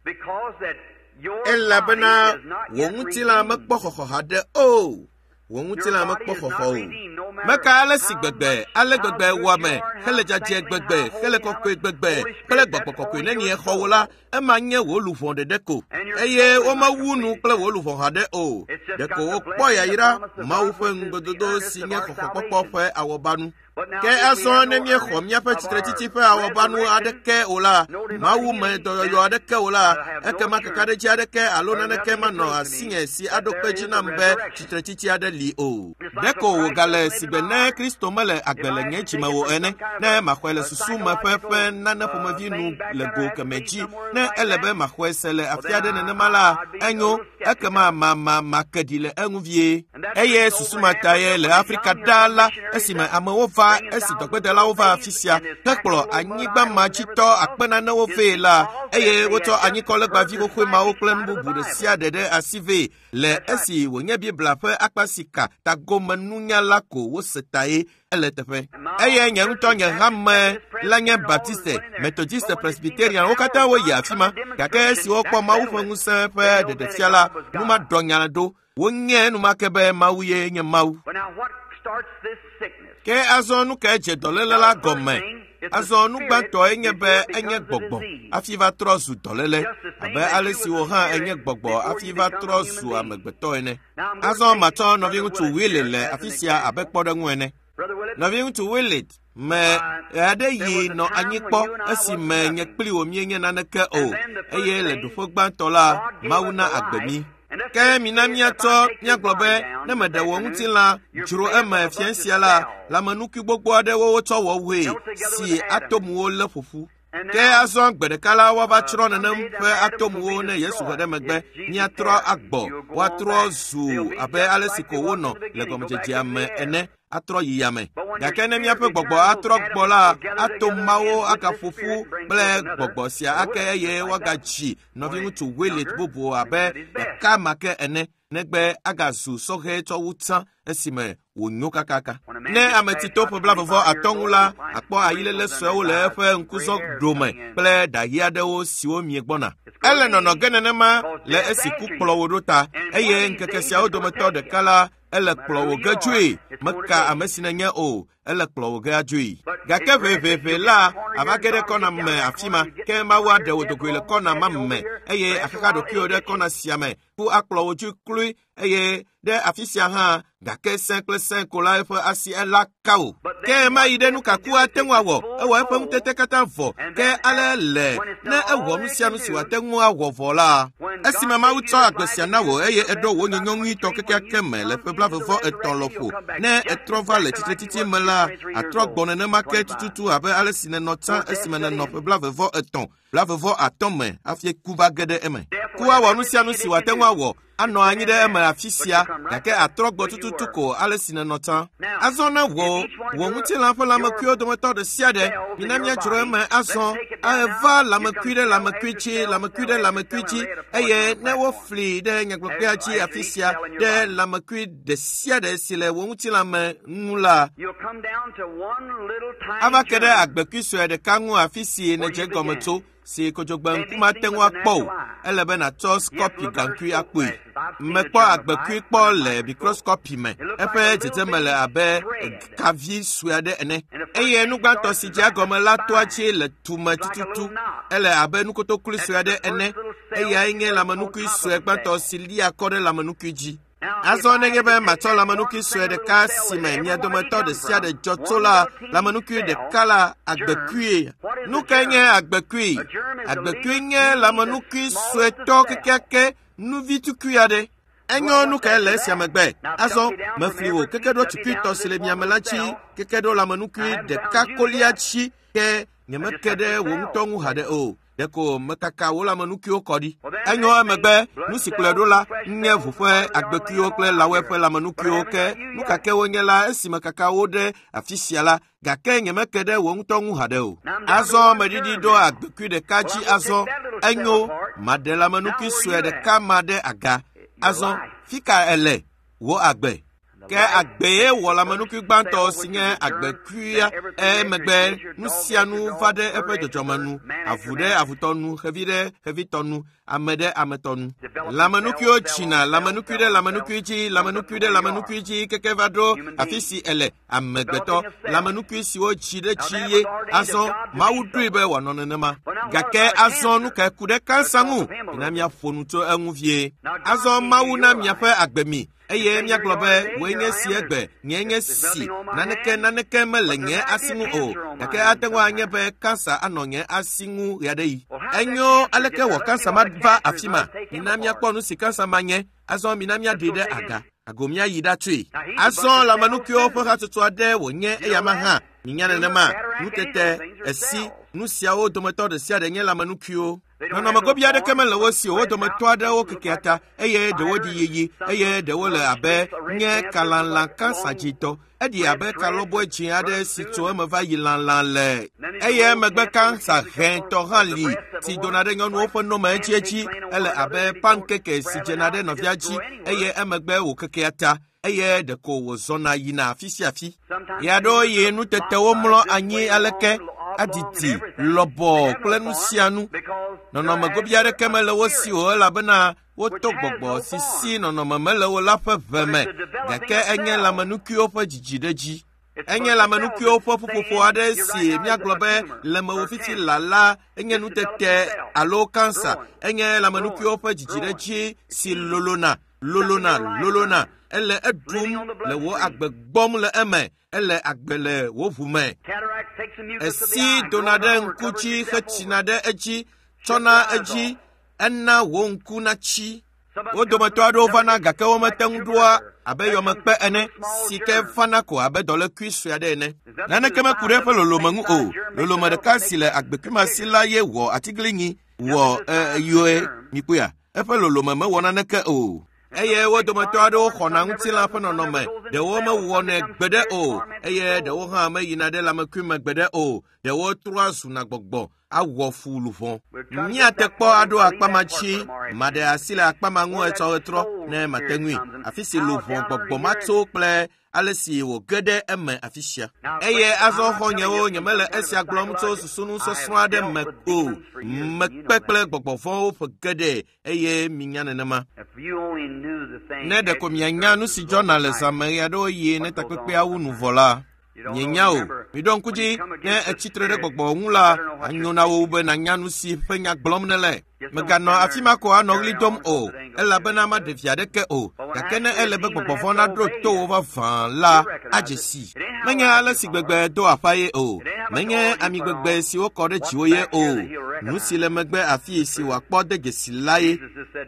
Elabena wò ŋutilã mekpɔ xɔxɔ haɖe o. Wò ŋutilã mekpɔ xɔxɔ o. Meka ale si gbegbe, ale gbegbe wɔame, hele dzadzɛ gbegbe, hele kɔkɔe gbegbe, kple gbɔgbɔ kɔkɔe nenie xɔ wò la, ema nye wò luʋɔ ɖeɖe ko. Eye womewu nu kple wò luʋɔ haɖe o. Ɖeko wokpɔ yayra Mawu ƒe ŋugbedodo si nye xɔxɔkpɔkpɔ ƒe awɔbanu. Ke azɔ ne míexɔ míaƒe tsitretsitsi ƒe awɔbanu aɖeke o la, Mawu me dɔyɔyɔ aɖeke o la, ekema kakaɖedzi aɖeke alo naneke manɔ asinye si aɖo kpe dzi nam be tsitretsitsi aɖe li o. Ɖeko wògale sigbe ne Kristo mele agbe le nye dzime o ene, ne maxɔe le susu me ƒe ƒe nane ƒomevi nu le go kemɛ dzi, ne ele be maxɔe se le afi aɖe nenema la, enyo, ekema ma ma make ɖi le eŋu vie. Eye susu ma tae le Afrika ɖaa la, esime amewo va, esi dɔgbedelawo va afi sia hekplɔ anyigba ma dzi tɔ akpe nanewo vɛ la, eye wotsɔ anyikɔlegbavi xoxoe mawo kple nu bubu ɖe sia ɖe ɖe asi vɛ le esi wònye Biblia ƒe akpa si ka tagomenunya la ko wose tae. Ele teƒe. Eye nye ŋutɔ nye hame la nye Baptiste, Methodiste, Presbyterian, wo katã woyi afi ma. Gake esi wokpɔ Mawu ƒe ŋusẽ ƒe ɖeɖefia la, nu ma ɖɔ nya ɖo. Wonye enumake be Mawu ye nye Mawu. Ke azɔ nu kae dze dɔléle la gɔme? Azɔ nu gbãtɔe nye be enye gbɔgbɔ hafi va trɔ zu dɔléle, abe ale si wò hã enye gbɔgbɔ hafi va trɔ zu amegbetɔ ene. Azɔ matsɔ nɔviŋutsu Willie le afi sia abe kpɔɖeŋu ene. Nɔviŋutsu Willie me aɖe yi nɔ anyi kpɔ esime nye kpli wò míenye naneke o, eye le ɖoƒe gbãtɔ la, Mawu na agbe mí. Ke mina míatsɔ míagblɔ be ne meɖe wò ŋutilã dzro eme fiẽ sia la, lãmenukui gbogbo aɖewo wotsɔ wɔ woe si atomuwo lé ƒoƒu. Ke azɔ gbe ɖeka la woava tsrɔ̃ nenem ƒe atomuwo ne Yesu ƒe ɖe megbe míatrɔ agbɔ, woatrɔ zu abe ale si ko wonɔ le gɔmedzedzea me ene atrɔ yi yame. Gake ne míaƒe gbɔgbɔ atrɔ gbɔ la, atom mawo agaƒo ƒu kple gbɔgbɔ sia ake eye woagadzi nɔviŋutsu Willet bubu abe ɖeka ma ke ene negbe agazu sɔhɛ tsɔ wu tsã esime wònyo kakaka. Ne ame ti to ƒe 35 ŋu la, akpɔ ayilele suewo le eƒe ŋkuzɔ ɖome kple ɖaɣi aɖewo siwo miegbɔna. Ele nɔnɔ ge nenema le esi ku kplɔ wò ɖo ta, eye ŋkeke siawo dometɔ ɖeka la, ele kplɔ wò ge dzoe. Meka ame si nènye o, ele kplɔ wò ge adzoe. Gake ʋeʋeʋe la, ava ge ɖe kɔna me afi ma, ke Mawu aɖe wò dogoe le kɔna ma me, eye axaxa ɖokuiwò ɖe kɔna sia me. Ku akplɔ wò dzoe kloe, eye ɖe afi sia hã, gake sẽ kple sẽ ko la eƒe asi ela ka wò. Ke mayi ɖe nu ka ku ate ŋu awɔ? Ewɔ eƒe ŋutete katã vɔ. Ke ale le ne ewɔ nu sia nu si wòate ŋu awɔ vɔ la, esime Mawu tsɔ agbe sia na wò eye eɖo wò nyonyo nyuitɔ kekeake me le ƒe 33 lɔƒo, ne etrɔ va le tsitretsitsi me la, atrɔ gbɔ nenema ke tututu abe ale si nènɔ tsã esime nènɔ ƒe 33, 35 me hafi ku va ge ɖe eme. Ku awɔ nu sia nu si wòate ŋu awɔ, anɔ anyi ɖe eme afi sia, gake atrɔ gbɔ tututu ko ale si nènɔ tsã. Azɔ ne wò wò ŋutilã ƒe lãmekuiwo dometɔ ɖe sia ɖe, mina míadzro eme azɔ, eva lãmekui ɖe lãmekui dzi, lãmekui ɖe lãmekui dzi, eye ne wofli ɖe nyagblɔkpea dzi afi sia ɖe lãmekui ɖe sia ɖe si le wò ŋutilã me ŋu la, ava ke ɖe agbekui sue ɖeka ŋu afi si nèdze gɔme tso, si kodzogbe ŋku mate ŋu akpɔ o. Ele be nàtsɔ skɔpi gaŋkui akpɔe. Mekpɔ agbekui kpɔ le mikroskɔpi me. Eƒe dzedzeme le abe kavi sue aɖe ene. Eye nu gbãtɔ si dzea gɔme la toa dzi le tume tututu. Ele abe nukotokloe sue aɖe ene. Eyae nye lãmenukui sue gbãtɔ si lia kɔ ɖe lãmenukui dzi. Azɔ nenye be matsɔ lãmenukui sue ɖeka si me mia dometɔ ɖe sia ɖe dzɔ tso la, lãmenukui ɖeka la, agbekui. Nu kae nye agbekui? Agbekui nye lãmenukui suetɔ kekeake, nuvi tukui aɖe. Enyo nu kae le esia megbe? Azɔ mefli wò keke ɖo tukuitɔ si le miame la dzi, keke ɖo lãmenukui ɖeka kolia dzi, ke nyemeke ɖe wò ŋutɔ ŋu haɖe o. Ɖeko mekaka wò lãmenukuiwo kɔ ɖi. Enyo emegbe, nu si kplɔe ɖo la nye ʋu ƒe agbekuiwo kple lãwoe ƒe lãmenukuiwo ke nu ka ke wonye la esime kaka wo ɖe afi sia la, gake nyemeke ɖe wò ŋutɔ ŋu haɖe o. Azɔ meɖiɖi ɖo agbekui ɖeka dzi azɔ. Enyo, maɖe lãmenukui sue ɖeka ma ɖe aga. Azɔ, fi ka ele? Wò agbe. Ke agbee wɔ lãmenukui gbãtɔ si nye agbekuia, emegbe nu sia nu va ɖe eƒe dzɔdzɔme nu, avu ɖe avutɔ nu, xevi ɖe xevitɔ nu, ame ɖe ametɔ nu. Lãmenukuiwo tsina, lãmenukui ɖe lãmenukui dzi, lãmenukui ɖe lãmenukui dzi keke va ɖo afi si ele amegbetɔ. Lãmenukui siwo tsi ɖe tsi ye. Azɔ Mawu ɖoe be wòanɔ nenema. Gake azɔ nu kae ku ɖe kansa ŋu? Mina míaƒo nu tso eŋu vie. Azɔ Mawu na miaƒe agbe mi, eye míagblɔ be wòe nye si egbe, nye nye si, naneke naneke mele nye asi ŋu o, gake ate ŋu anye be kansa anɔ nye asi ŋu ɣeaɖeɣi. Enyo aleke wɔ kansa ma va afi ma? Mina míakpɔ nu si kansa ma nye. Azɔ mina míaɖoe ɖe aga. Ago míayi ɖatsoe. Azɔ lãmenukuiwo ƒe hatsotso aɖe wònye eyama hã. Minya nenema, nutete, esi, nu siawo dometɔ ɖe sia ɖe nye lãmenukuiwo. Nɔnɔme gobi aɖeke mele wo si o, wo dometɔ aɖewo kekea ta, eye ɖewo ɖi yiyi, eye ɖewo le abe nye kalãlã kansa dzitɔ. Eɖi abe kalɔbɔe dzĩ aɖe si tso eme va yi lãlã le. Eye emegbe kansa hɛ̃tɔ hã li si dona ɖe nyɔnuwo ƒe nome edziedzi. Ele abe pankeke si dzena ɖe nɔvia dzi eye emegbe wòkekea ta, eye ɖeko wòzɔna yina afi sia afi. Ɣeaɖewoɣi nutetewo mlɔ anyi aleke, adidi, lɔbɔ kple nu sia nu. Nɔnɔme gobi aɖeke mele wo si o elabena woto gbɔgbɔ si si nɔnɔme mele o la ƒe ʋe me, gake enye lãmenukuiwo ƒe dzidziɖedzi. Enye lãmenukuiwo ƒe ƒuƒoƒo aɖe si míagblɔ be le mewò fifi la la enye nutete alo kansa. Enye lãmenukuiwo ƒe dzidziɖedzi si lolona, lolona, lolona. Ele eɖum le wò agbe gbɔm le eme. Ele agbe le wò ʋu me. Esi dona ɖe ŋku dzi hetsina ɖe edzi, tsɔna edzi, ena wò ŋku natsi. Wo dometɔ aɖewo vana gake womete ŋu ɖoa abe yɔmekpe ene si ke fana ko abe dɔlékui sue aɖe ene. Naneke meku ɖe eƒe lolome ŋu o. Lolome ɖeka si le agbekui ma si la ye wɔ atiglinyi wɔ yɔe mikpɔea. Eƒe lolome mewɔ naneke o. Eye wo dometɔ aɖewo xɔna ŋutilã ƒe nɔnɔme, ɖewo mewɔnɛ gbeɖe o, eye ɖewo hã meyina ɖe lãmekui me gbeɖe o, ɖewo trɔa zuna gbɔgbɔ awɔ fu luʋɔ. Míate kpɔ aɖo akpa ma dzi, maɖe asi le akpa ma ŋu etsɔ ɣetrɔ ne mate ŋui. Afi si luʋɔ gbɔgbɔ ma tso kple ale si wòge ɖe eme afi sia. Eye azɔ xɔ̃nyewo, nyemele esia gblɔm tso susunusɔsrɔ̃ aɖe me o. Mekpe kple gbɔgbɔ vɔ̃wo ƒe geɖe eye minya nenema. Ne ɖeko mianya nu si dzɔna le zã me ɣeaɖewoɣi ne takpekpea wu nu vɔ la, mienya o. Miɖo ŋku dzi, ne etsi tre ɖe gbɔgbɔ ŋu la, anyo na wò be nànya nu si ƒe nya gblɔm nèle. Mèganɔ afi ma ko anɔ ɣli dom o, elabena maɖe vi aɖeke o. Gake ne ele be gbɔgbɔ vɔ̃ naɖo to wò vavã la, adze sii. Menye ale si gbegbe do aƒa ye o. Menye ami gbegbe si wokɔ ɖe dziwò ye o. Nu si le megbe afii si wòakpɔ de dzesi la ye.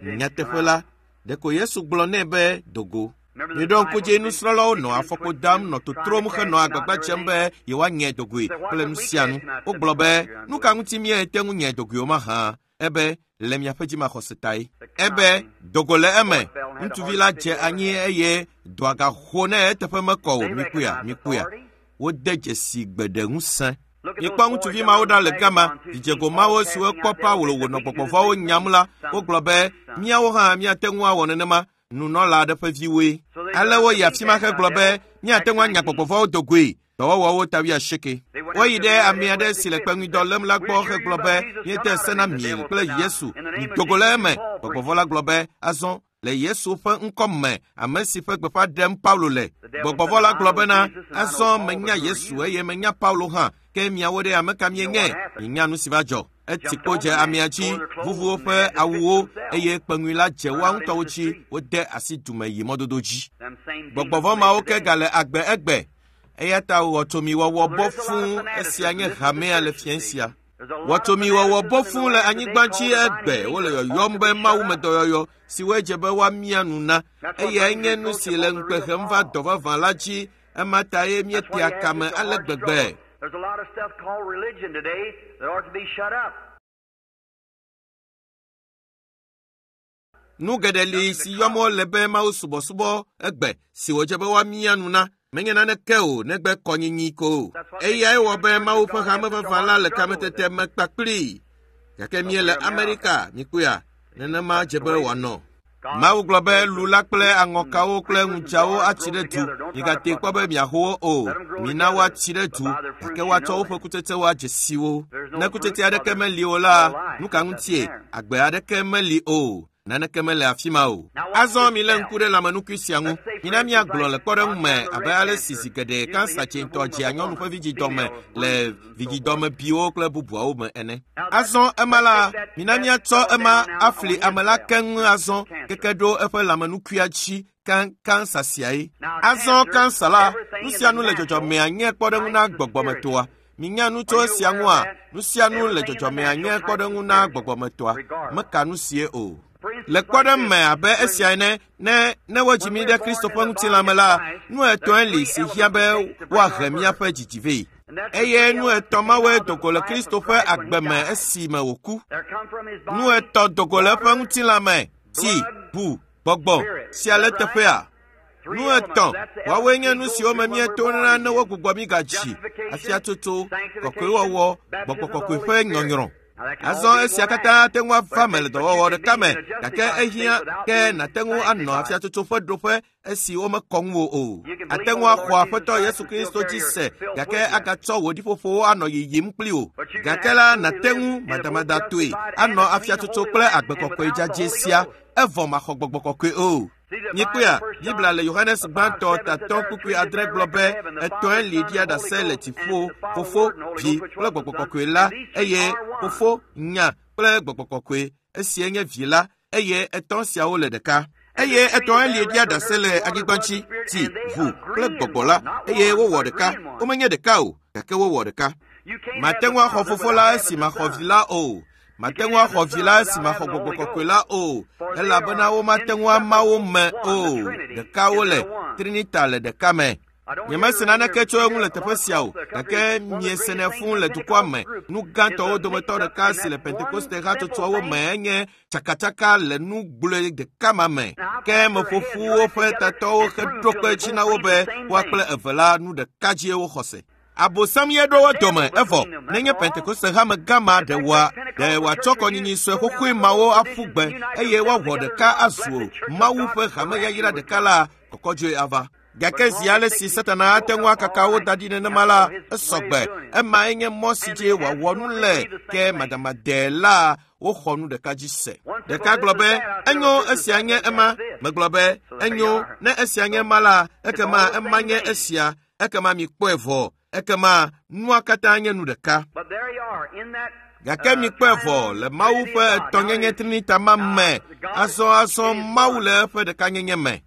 Nyateƒe la, ɖeko Yesu gblɔ nɛ be do go. Miɖo ŋku dzi nusrɔ̃lawo nɔ afɔkpo dam nɔ totrom henɔ agbagba dzem be yewoanye dogoe kple nu sia nu. Wogblɔ be, nu ka ŋuti míete ŋu nye dogoe o mahã? Ebe, le miaƒe dzimaxɔse tae. Ebe, dogo le eme. Ŋutsuvi la dze anyi eye dɔa gaxo ne eteƒe mekɔ o. Mikpɔea, mikpɔea. Wode dzesi gbeɖe ŋusẽ. Mikpɔ ŋutsuvi mawo ɖa le gama, dzidzego mawo siwo kpɔ Paulo wònɔ gbɔgbɔ vɔ̃wo nyam la, wogblɔ be, míawo hã míate ŋu awɔ nenema. Nunɔla aɖe ƒe viwoe. Ale woyi afi ma hegblɔ be, míate ŋu anya gbɔgbɔ vɔ̃wo dogoe. Dɔwɔwɔwo ta wuiasieke. Woyi ɖe ame aɖe si le kpeŋuidɔ lém la gbɔ hegblɔ be, míede se na mi kple Yesu, mido go le eme. Gbɔgbɔ vɔ̃ la gblɔ be, azɔ, le Yesu ƒe ŋkɔ me, ame si ƒe gbeƒã ɖem Paulo le. Gbɔgbɔ vɔ̃ la gblɔ bena, azɔ menya Yesu eye menya Paulo hã, ke miawo ɖe ame ka mienye? Mienya nu si va dzɔ. Etsi kpo dze amea dzi, vuvu woƒe awuwo eye kpeŋui la dze woa ŋutɔwo dzi, wode asi dume yi mɔdodo dzi. Gbɔgbɔ vɔ̃ mawo ke gale agbe egbe. Eya ta wɔtsomiwɔwɔ bɔ fũu, esia nye hamea le fiẽ sia. Wɔtsomiwɔwɔ bɔ fũu le anyigba dzi egbe, wole yɔyɔm be mawumedɔyɔyɔ siwoe dze be woamia nu na. Eyae nye nu si le ŋukpe hem va dɔ vavã la dzi, ema ta ye míetea kame ale gbegbe. There's a lot of stuff called religion today that ought to be shut up. Nu geɖe li si yɔm wole be Mawu subɔsubɔ egbe si wòdze be woamia nu na. Menye naneke o negbe kɔnyinyi ko. Eyae wɔ be Mawu ƒe hame vavã la le kametete me kpakplii. Gake míele Amerika, mikpɔea, nenema dze be wòanɔ. Mawu gblɔ be lu la kple aŋɔkawo kple ŋudzawo atsi ɖe du. Migate kpɔ be miaho wo o. Mina woatsi ɖe du, gake woatsɔ woƒe kutsetsewo adze si wo. Ne kutsetse aɖeke meli o la, nu ka ŋutie? Agbe aɖeke meli o. Naneke mele afi ma o. Azɔ milé ŋku ɖe lãmenukui sia ŋu. Mina míagblɔ le kpɔɖeŋu me abe ale si zi geɖe kansa tsɛtɔ dzea nyɔnu ƒe vidzidɔme le vidzidɔmebiwo kple bubuawo me ene. Azɔ ema la, mina míatsɔ ema afli ame la keŋ azɔ keke ɖo eƒe lãmenukuia dzi kansa siae. Azɔ kansa la, nu sia nu le dzɔdzɔmea nye kpɔɖeŋu na gbɔgbɔmetoa. Minya nu tso esia ŋua, nu sia nu le dzɔdzɔmea nye kpɔɖeŋu na gbɔgbɔmetoa. Meka nu sie o. Le kpɔɖeŋu me abe esia ene, ne ne wodzi mí ɖe Kristo ƒe ŋutilã me la, nu etɔ̃e li si hiã be woahe míaƒe dzidzi vɛ. Eye nu etɔ̃ mawoe do go le Kristo ƒe agbe me esime wòku. Nu etɔ̃ do go le eƒe ŋutilã me, tsi, ʋu, gbɔgbɔ sia le teƒea. Nu etɔ̃, woawoe nye nu siwo me míetona ne wogbugbɔ mí gadzi, afiatsotso, kɔkɔewɔwɔ, gbɔgbɔ kɔkɔe ƒe nyɔnyrɔ. Azɔ esia katã ate ŋu ava me le dɔwɔwɔ ɖeka me, gake ehiã ke nàte ŋu anɔ afiatsotso ƒe ɖoƒe esi womekɔ ŋuwò o. Ate ŋu axɔ Aƒetɔ Yesu Kristo dzi se, gake agatsɔ wò ɖiƒoƒowo anɔ yiyim kpli wò. Gake la, nàte ŋu madamadatɔe anɔ afiatsotso kple agbe kɔkɔe dzadzɛ sia, evɔ maxɔ gbɔgbɔ kɔkɔe o. Mikpɔea, Biblia le Yohanes gbãtɔ tatɔ kpukpui adre gblɔ be etɔ̃e li ɖia ɖase le dziƒo, Fofo, Vi kple Gbɔgbɔ Kɔkɔe la, eye Fofo, Nya kple Gbɔgbɔ Kɔkɔe, esie nye Vi la, eye etɔ̃ siawo le ɖeka. Eye etɔ̃e li ɖia ɖase le anyigba dzi, tsi, ʋu kple gbɔgbɔ la, eye wowɔ ɖeka. Womenye ɖeka o, gake wowɔ ɖeka. Mate ŋu axɔ Fofo la esi maxɔ Vi la o. Mate ŋu axɔ Vi la esi maxɔ Gbɔgbɔ Kɔkɔe la o, elabena womate ŋu ama wo me o. Ɖeka wole, Trinita le ɖeka me. Nyemese naneke tso eŋu le teƒe sia o, gake miesenɛ fũu le dukɔa me. Nu gãtɔwo dometɔ ɖeka si le Pentekoste hatsotsoawo me enye tsakatsaka le nu gblɔe ɖeka ma me. Ke meƒo ƒu woƒe tatɔwo heɖo kpe edzi na wo be woa kple eve la nu ɖeka dzie woxɔ se. Abosam ye ɖo wo dome, evɔ nenye Pentekoste hame gã ma ɖe wòa, ɖe wòatsɔ kɔnyinyi sue xoxoe mawo aƒu gbe eye woawɔ ɖeka azu Mawu ƒe hame yayra ɖeka la, kɔkɔdzoe ava. Gake zi ale si Satana ate ŋu akaka wo da ɖi nenema la, esɔgbe. Emae nye mɔ si dzi wòawɔ nu le, ke madamadee la, woxɔ nu ɖeka dzi se. Ɖeka gblɔ be, enyo, esia nye ema. Megblɔ be, enyo, ne esia nye ema la, ekema ema nye esia. Ekema mikpɔe vɔ. Ekema nua katã nye nu ɖeka. Gake mikpɔe vɔ le Mawu ƒe etɔ̃nyenye Trinita ma me. Azɔ Mawu le eƒe ɖekanyenye me.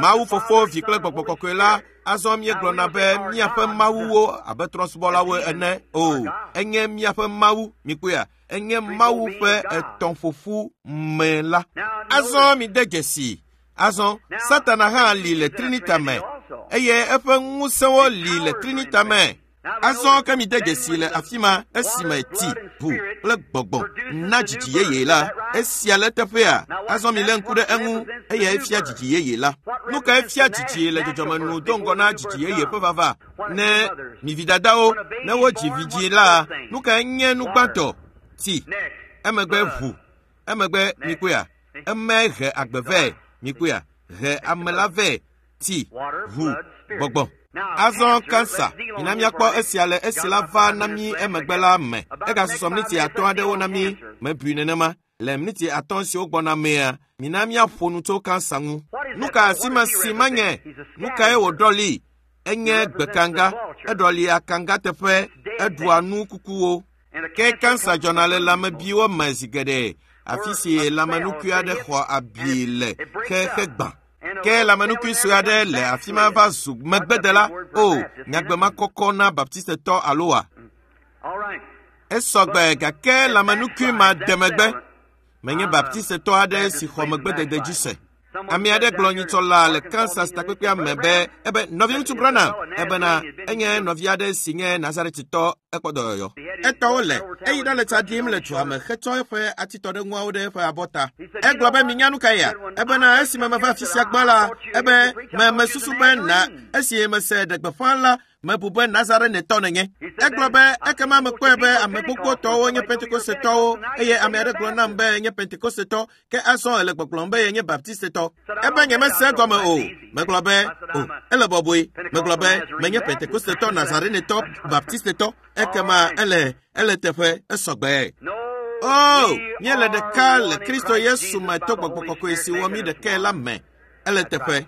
Mawu Fofo, Vi kple Gbɔgbɔ Kɔkɔe la, azɔ míegblɔna be míaƒe mawuwo abe trɔ̃subɔlawo ene o. Enye míaƒe Mawu, mikpɔea, enye Mawu ƒe etɔ̃ƒoƒu me la. Azɔ mide dzesi. Azɔ Satana hã li le Trinita me, eye eƒe ŋusẽwo li le Trinita me. Azɔ ke mide dzesi le afi ma esime tsi, ʋu kple gbɔgbɔ na dzidzi yeye la. Esia le teƒea. Azɔ milé ŋku ɖe eŋu, eye efia dzidzi yeye la. Nu kae fia dzidzi le dzɔdzɔme nu do ŋgɔ na dzidzi yeye ƒe vava? Ne mi vidadawo, ne wodzi vidzĩ la, nu kae nye nu gbãtɔ? Tsi, emegbe ʋu, emegbe mikpɔea, emae he agbe vɛ, mikpɔea, he ame la vɛ, tsi, ʋu, gbɔgbɔ. Azɔ kansa, mina míakpɔ esia le esi la va na mí emegbe la me. Egasusɔ miniti atɔ̃ aɖewo na mí, mebui nenema. Le miniti atɔ̃ siwo gbɔna mea, mina míaƒo nu tso kansa ŋu. Nu ka asi ma si manye? Nu kae wòɖɔli? Enye gbekanga, eɖɔli akanga teƒe, eɖua nu kukuwo. Ke kansa dzɔna le lãmebiwo me zi geɖe, afi si lãmenukui aɖe xɔ abi le xexe gbã. Ke lãmenukui sue aɖe le afi ma va zu megbedela. O, nyagbe ma kɔkɔ na Baptistetɔ alo wa? Esɔgbe gake lãmenukui ma de megbe. Menye Baptistetɔ aɖe si xɔ megbedede dzi se. Ame aɖe gblɔ nyitsɔ la le Kansas takpekpea me be ebe nɔviŋutsu Branham ebena enye nɔvi aɖe si nye Nazaretitɔ ekpɔ dɔyɔyɔ. Etɔwo le eyi ɖa le tsa ɖim le dua me hetsɔ eƒe atitɔɖeŋuawo ɖe eƒe abɔta. Egblɔ be minya nu ka ya? Ebena esime meva afi sia gbã la, ebe me mesusu be na esi mese ɖe gbeƒã la, mebu be Nazarenetɔ nenye. Egblɔ be ekema mekpɔe be ame gbogbotɔwo nye Pentekostetɔwo eye ame aɖe gblɔ nam be nye Pentekostetɔ, ke azɔ ele gbɔgblɔm be yenye Baptistetɔ. Ebe nyemese egɔme o. Megblɔ be, o, ele bɔbɔe. Megblɔ be menye Pentekostetɔ, Nazarenetɔ, Baptistetɔ. Ekema ele ele teƒe esɔgbe. O, míele ɖeka le Kristo Yesu me to Gbɔgbɔ Kɔkɔe si wɔ mí ɖekae la me. Ele teƒe.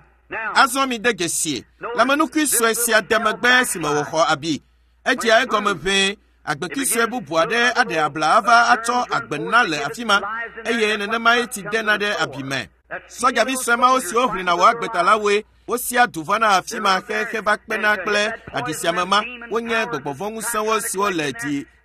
Azɔ mide dzesi. Lãmenukui sue sia de megbe esime wòxɔ abi. Edzea egɔme ʋɛe. Agbekui sue bubu aɖe aɖe abla ava atsɔ agbe na le afi ma, eye nenemae tsi dena ɖe abi me. Sɔdzavi sue mawo siwo ʋlina wò agbeta la woe wosia du vana afi ma xexe va kpena kple aɖisiame ma. Wonye gbɔgbɔvɔ̃ŋusẽwo siwo le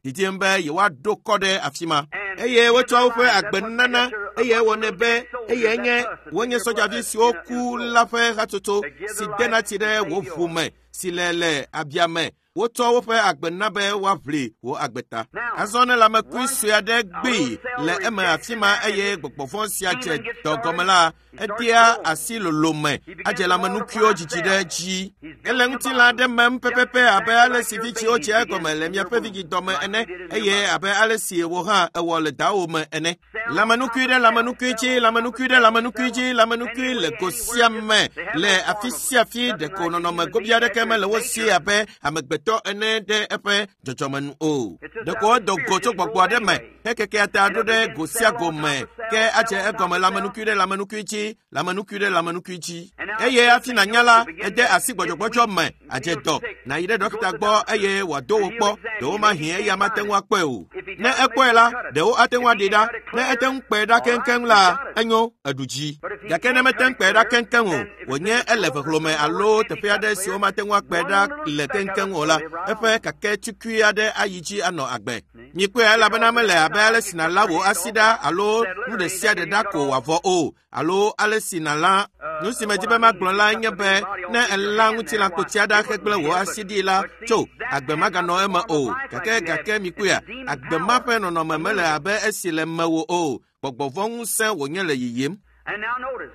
didim be yewoaɖo kɔ ɖe afi ma, eye wotsɔa woƒe agbenunana eye ewɔnɛ be eye nye wonye sɔdzavi siwo ku la ƒe hatsotso si dena tsi ɖe wò ʋu me si le le abia me. Wotsɔ woƒe agbe na be woaʋli wò agbe ta. Azɔ ne lãmekui sue aɖe gbee le eme afi ma eye gbɔgbɔvɔ̃ sia dze dɔ gɔme la, edea asi lolo me, adze lãmenukuiwo dzidzi ɖe dzi. Ele ŋutilã aɖe mem pɛpɛpɛ abe ale si vidziwo dzea egɔme le miaƒe vidzidɔme ene, eye abe ale si wò hã ewɔ le dawò me ene. Lãmenukui ɖe lãmenukui dzi, lãmenukui ɖe lãmenukui dzi, lãmenukui le go sia me le afi sia afi. Ɖeko nɔnɔme gobi aɖeke mele wo si abe amegbetɔ ene ɖe eƒe dzɔdzɔme nu o. Ɖeko edo go tso gbɔgbɔ aɖe me. Hekekea ta ɖo ɖe go sia go me ke adze egɔme lãmenukui ɖe lãmenukui dzi, lãmenukui ɖe lãmenukui dzi. Eye hafi nànya la, ede asi gbɔdzɔgbɔdzɔ me, adze dɔ, nàyi ɖe ɖɔkita gbɔ eye wòado wò kpɔ, ɖewo mahi eya mate ŋu akpɔe o. Ne ekpɔe la, ɖewo ate ŋu aɖee ɖa. Ne ete ŋu kpɔe ɖa keŋkeŋ la, enyo, eɖu dzi. Gake ne mete ŋu kpɔe ɖa keŋkeŋ o, wònye ele vehlo me alo teƒe aɖe si womate ŋu akpɔe ɖa le keŋkeŋ o la, eƒe kake tukui aɖe ayi dzi anɔ agbe. Mikpɔe elabena mele abe ale si nàla wò asi ɖa alo nu ɖe sia ɖe ɖa ko wòavɔ o, alo ale si nàlã. Nu si medi be magblɔ lae nye be ne èlã ŋutilãkpotia ɖa hegblẽ wò asi ɖi la, tso, agbe maganɔ eme o. Gake gake mikpɔea, agbe ma ƒe nɔnɔme mele abe esi le mewò o. Gbɔgbɔ vɔ̃ ŋusẽ wònye le yiyim. And now notice,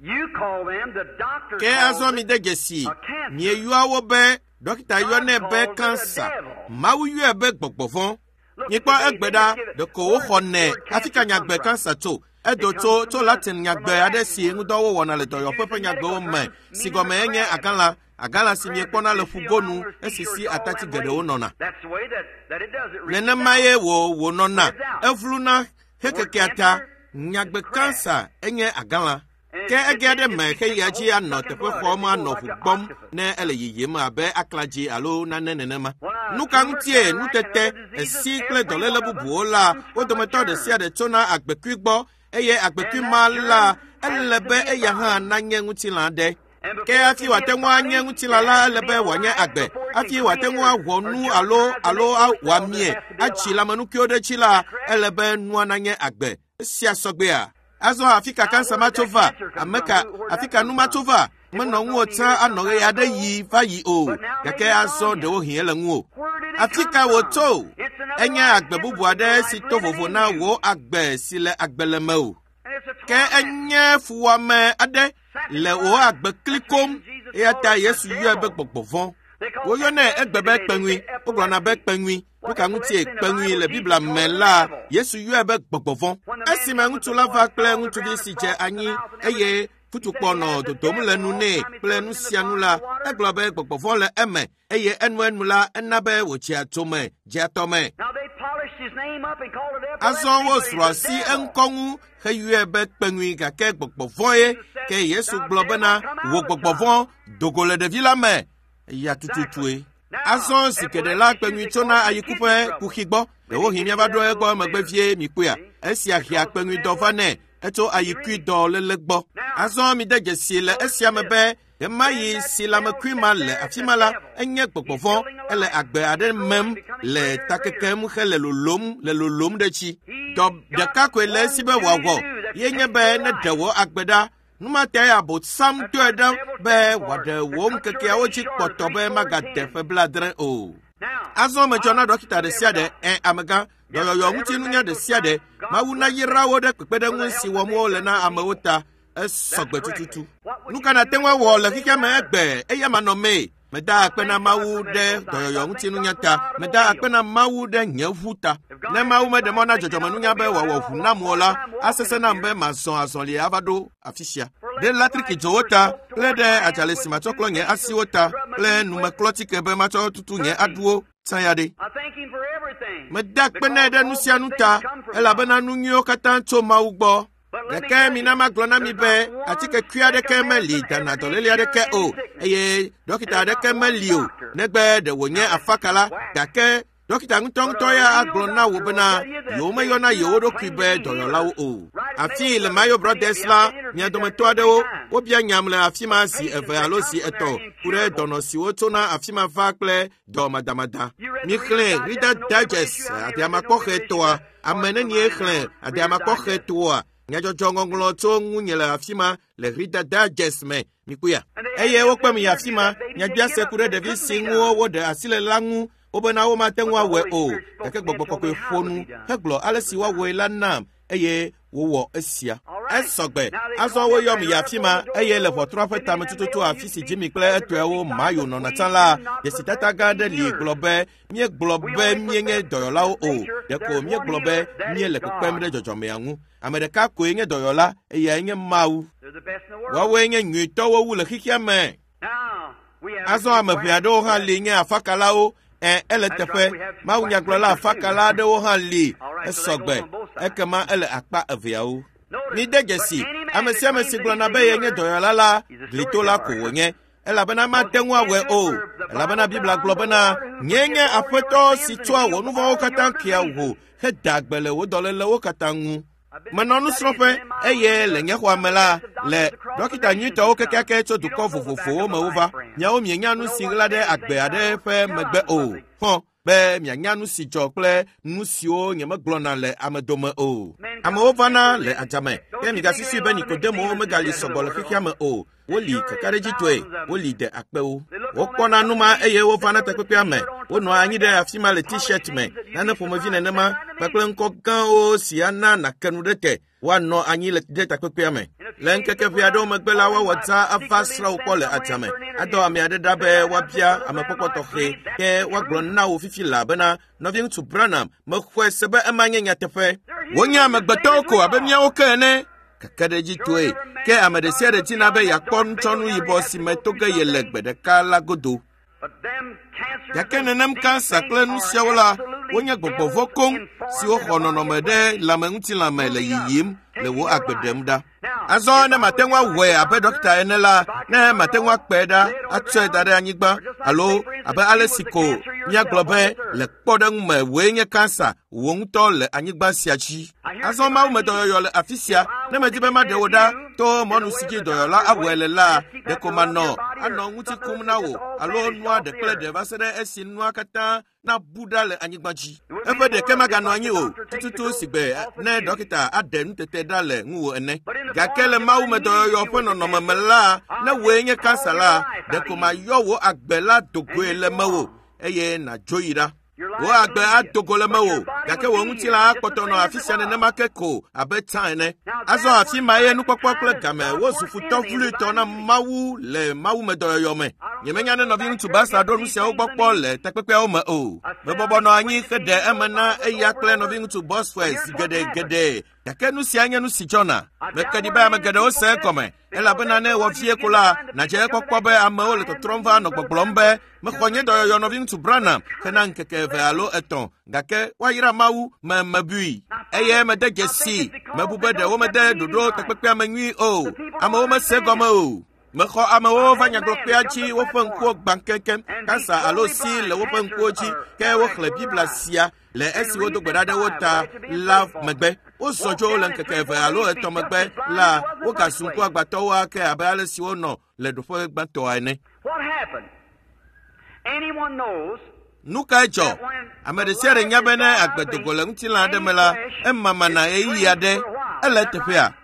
you call them, the doctor Ke calls azɔ it mi de dzesi, a cancer. mieyɔa wo be dɔkita yɔnɛ be kansa. Mawu yɔe be gbɔgbɔ vɔ̃. Look, Mikpɔ today, egbe they ɖa, just give it- ɖeko woxɔnɛ Where hafi cancer ka come nyagbe from? kansa tso. Edo tso tso Latin nyagbe aɖe si ŋudɔ wowɔna le dɔyɔƒe ƒe nyagbewo me si gɔme enye agalã. Agalã si miekpɔna le ƒugonu esi si atati geɖewo nɔna. That's the way that it does. It reaches Nenema out. ye wò wònɔna. Evluna hekekea ta. Nyagbe kansa enye agalã. Ke ege aɖe me xeyia dzi anɔ teƒe xɔm anɔ ʋu gbɔm ne ele yiyim abe aklãdzi alo nane nenema. Nu ka ŋutie nutete, esi kple dɔléle bubuwo la, wo dometɔ ɖe sia ɖe tsona agbekui gbɔ eye agbekui ma la, ele be eya hã nanye ŋutilã ɖe. And Ke hafi wòate ŋu anye ŋutilã la, ele be wòanye agbe. Hafi wòate ŋu awɔ nu alo alo wòamie atsi lãmenukuiwo ɖe edzi la, ele be nua nanye agbe. Esia sɔgbea? Azɔ afi ka kansa ma tso va? Ame ka afi ka nu ma tso va? Menɔ ŋuwò tsã anɔ ɣe aɖe yi va yi o. Gake azɔ ɖewohĩ ele ŋuwò. Where did it Afi come ka from? wòtso? It's another Enye life agbe bubu aɖe si to vovo na wò agbe si le agbe le mewò. And it's a Ke torment. enye fuwɔame aɖe le wò agbe klikom eya ta Yesu yɔe be gbɔgbɔ vɔ̃. They call Woyɔnɛ epilepsy egbe be today. They kpeŋui. say Wogblɔna be epilepsy. kpeŋui. Nu ka ŋutie kpeŋui le Biblia me la, Yesu yɔe be gbɔgbɔ vɔ̃. Esime ŋutsu la va kple ŋutsuvi si dze anyi eye futukpɔ nɔ dodom le nu nɛ kple nu sia nu la, egblɔ be gbɔgbɔ vɔ̃ le eme eye enuenu la ena be wòdzea tome, dzea tɔme. Now they polished his name up and called it epilepsy, Azɔ but he's wozrɔ̃ the asi devil. eŋkɔ ŋu heyɔe be kpeŋui gake gbɔgbɔ vɔ̃ ye. Ke Yesu gblɔ bena wò gbɔgbɔ vɔ̃ do go le ɖevi la me. Eya tututue. Azɔ zi geɖe la kpeŋui tsona ayiku ƒe kuxi gbɔ. Ɖewohĩ míava ɖo egbɔ megbe vie mikpɔea. Esia hea kpeŋui dɔ va nɛ etso ayikui dɔ léle gbɔ. Azɔ mide dzesi le esia me be ɣemaɣi si lãmekui ma le afi ma la, enye gbɔgbɔ vɔ̃. Ele agbe aɖe mem le takekem hele lolom le lolom ɖe edzi. Dɔ ɖeka koe le esi be wòawɔ ye nye be ne ɖe wò agbe ɖa. Nu ma tae Abosam doe ɖa be wòaɖe wò ŋkekeawo dzi kpɔtɔ be magade ƒe 70 o. Now, Azɔ medzɔ na dɔkita ɖe sia ɖe, ɛ amegã, dɔyɔyɔ ŋutinunya ɖe sia ɖe. Mawu nayra wo ɖe kpekpeɖeŋu si wɔm wole na amewo ta. Esɔgbe tututu. Nu ka nàte ŋu awɔ le xexea me egbe eya manɔmee? Meda akpe na Mawu ɖe dɔyɔyɔ ŋutinunya ta. Meda akpe na Mawu ɖe nye ʋu ta. Ne Mawu meɖe mɔ na dzɔdzɔmenunya be wòawɔ ʋu nam o la, asesẽ nam be mazɔ azɔli ava ɖo afi sia. Ɖe latrikidzowo ta kple ɖe adzalẽ si matsɔ klɔ nye asiwo ta kple numeklɔtike be matsɔ tutu nye aɖuwo tsã ya ɖe. I thank him for everything. Meda akpe nɛ ɖe nu sia nu ta elabena nu nyuiwo katã tso Mawu gbɔ. Gake mina magblɔ na mi be atikekui aɖeke meli dana dɔléle aɖeke o eye dɔkita aɖeke meli o negbe ɖe wònye afakala gake dɔkita ŋutɔŋutɔ ya agblɔ na wò bena yewomeyɔna yewo ɖokui be dɔyɔlawo o. Afii le Mayo Brothers la, mia dometɔ aɖewo wobia nyam le afi ma zi eve alo zi etɔ̃ ku ɖe dɔnɔ siwo tsona afi ma va kple dɔ madamada. Mixlẽ Reader Digest adeamakpɔxetɔa. Ame nenie xlẽ adeamakpɔxetɔa? Nyadzɔdzɔ ŋɔŋlɔ tso ŋunye le afi ma le Reader Digest me. Mikpɔea? Eye wokpem yi afi ma. Nyabiase ku ɖe ɖevi si ŋu woɖe asi le la ŋu wobena womate ŋu awɔe o. Gake gbɔgbɔ kɔkɔe ƒo nu hegblɔ ale si woawɔe la nam eye wowɔ esia. Esɔgbe. Azɔ woyɔm yi afi ma eye le ʋɔtrua ƒe tame tututu afi si Jimmy kple etɔewo Mayo nɔna tsã la, dzesitata gã aɖe li gblɔ be míegblɔ be míenye dɔyɔlawo o. Ɖeko míegblɔ be míele kpekpem ɖe dzɔdzɔmea ŋu. Ame ɖeka koe nye dɔyɔla eyae nye Mawu. They're the best in the world. Woawoe nye nyuitɔwo wu le xexea me. Now, we have Azɔ ame ʋɛ aɖewo hã li nye afakalawo Ẽ, ele teƒe. Mawunyagblɔla afakala aɖewo hã li. Esɔgbe. Ekema ele akpa eveawo. Mide dzesi, ame sia ame si gblɔna be yenye dɔyɔla la, glitola ko wònye. Elabena mate ŋu awɔe o. Elabena Biblia gblɔ bena, nyee nye Aƒetɔ si tsɔa wò nu vɔ̃wo katã kea wò heda gbe le wò dɔlélewo katã ŋu. Menɔ nusrɔ̃ƒe eye le nye xɔa me la, le dɔkita nyuitɔwo kekeake tso dukɔ vovovowo me wova. Miawo mienya nu si ɣla ɖe agbe aɖe ƒe megbe o. Xɔ be mianya nu si dzɔ kple nu siwo nyemegblɔna le ame dome o. Amewo vana le adzame, ke migasusui be Nikodemowo megali sɔgbɔ le xexea me o. Woli kakaɖedzitɔe, woli de akpewo. Wokpɔna nu ma eye wovana takpekpea me. Wonɔa anyi ɖe afi ma le t-shirt me, nane ƒomevi nenema kpakple ŋkɔ gãwo si ana nàke nu ɖe te. Woanɔ anyi le ɖe takpekpea me. Le ŋkeke ʋɛ aɖewo megbe la, woawɔ dzaa ava srã wo kpɔ le adzame. Adɔ ame aɖe ɖa be woabia amekpɔkpɔ tɔxɛ ke woagblɔ na wò fifi laa bena, Nɔviŋutsu Branham, mexɔe se be ema nye nyateƒe. Wonye amegbetɔwo ko abe míawo ke ene. Kakaɖedzitɔe, ke ame ɖe sia ɖe dina be yeakpɔ nutsɔnu yibɔ si me to ge yele gbe ɖeka la godo. Gake nenem kansa kple nu siawo la, wonye gbɔgbɔ vɔ̃ koŋ siwo xɔ nɔnɔme ɖe lãmeŋutilã me le yiyim le wò agbe ɖem ɖa. Azɔ ne mate ŋu awɔe abe ɖɔkita ene la, ne mate ŋu akpɔe ɖa atsɔe da ɖe anyigba alo abe ale si ko míagblɔ be le kpɔɖeŋu me wòe nye kansa wò ŋutɔ le anyigba sia dzi. Azɔ Mawu me dɔyɔyɔ le afi sia. Ne medi be maɖe wò ɖa to mɔnu si dzi dɔyɔla awɔe le la, ɖeko manɔ anɔ ŋuti kum na wò alo nua ɖe kple ɖe va se ɖe esi nua katã nabu ɖa le anyigba dzi. Eƒe ɖeke maganɔ anyi o, tututu si gbe ne ɖɔkita aɖe nutete ɖa le ŋuwò ene. Gake le Mawu me dɔyɔyɔ ƒe nɔnɔme me la, ne wòe nye kansa la, ɖeko mayɔ wò agbe la do goe le mewò eye nàdzo yi ɖa. Wò agbe ado go le mewò, gake wò ŋutilã akpɔtɔ nɔ afi sia nenema ke ko abe tsã ene. Azɔ afi ma ye nukpɔkpɔ kple game wozu futɔ vloetɔ na Mawu le mawumedɔyɔyɔ me. Nyemenya ne nɔviŋutsu Basa ɖo nu siawo gbɔ kpɔ le takpekpeawo me o. Mebɔbɔ nɔ anyi heɖe eme na eya kple nɔviŋutsu Bosworth zi geɖe geɖe, gake nu sia nye nu si dzɔna. Meke ɖi be ame geɖewo se egɔme, elabena ne ewɔ vie ko la, nàdze ekpɔkpɔ be amewo le tɔtrɔm va nɔ gbɔgblɔm be, mexɔ nye dɔyɔyɔ nɔviŋutsu Branham hena ŋkeke eve alo etɔ̃, gake woayra Mawu me mebui. Eye mede dzesii, mebu be ɖe womede ɖoɖo takpekpea me nyui o. Amewo mese egɔme o. Mexɔ amewo va nyagblɔkpea dzi woƒe ŋkuwo gbã keŋkeŋ, kansa alo si le woƒe ŋkuwo dzi, ke woxlẽ Biblia sia le esi wodo gbe ɖa ɖe wo ta la megbe. Wozɔ dzo le ŋkeke eve alo etɔ̃ megbe la, wogazu ŋkuagbãtɔwo ake abe ale si wonɔ le ɖoƒe gbãtɔa ene. What happened? Anyone knows Nu kae dzɔ? Ame ɖe sia ɖe nya be ne agbe do go le ŋutilã aɖe me la, emamana ɣeyiɣi aɖe. Ele eteƒea?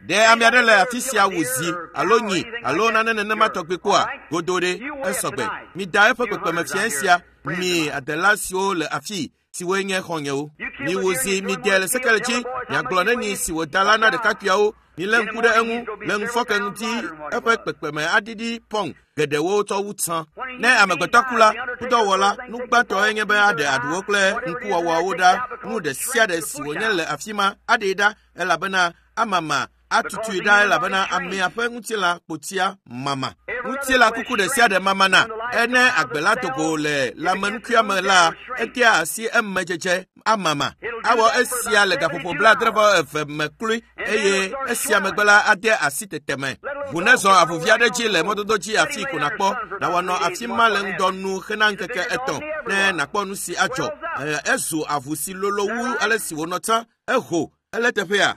Ɖe ame aɖe le afi sia wò zi alo nyi alo nane nenema tɔgbi kpɔa? Godo ɖe, esɔgbe. Mida eƒe kpekpeme fiẽ sia, mi adela siwo le afii, siwoe nye xɔ̃nyewo. Miwò zi, mide le sekele dzi, miagblɔ neni si wòda la na ɖekakpuiawo. Milé ŋku ɖe eŋu le ŋufɔke ŋuti eƒe kpekpeme aɖiɖi pɔŋ geɖewo tsɔ wu tsã. Ne amegbetɔ ku la, ŋudɔwɔla, nu gbãtɔe nye be aɖe aɖuwo kple ŋkuwɔwɔawo ɖa, nu ɖe sia ɖe si wònye le afi ma aɖee ɖa elabena amama atutui ɖa elabena amea ƒe ŋutilã kpotia mama. Ŋutilã kuku ɖe sia ɖe mamana. Ene agbe la do go le lãmenukuia me la, edea asi emedzedze amama. Awɔ esia le gaƒoƒo 72 me kloe eye esia megbe la ade asi tete me. Ʋu nezɔ avuvi aɖe dzi le mɔdodo dzi afii ko nàkpɔ. Nàwɔ nɔ afi ma le ŋdɔ nu hena ŋkeke etɔ̃ ne nàkpɔ nu si adzɔ. Ezu avu si lolo wu ale si wònɔ tsã. Eho, ele teƒea?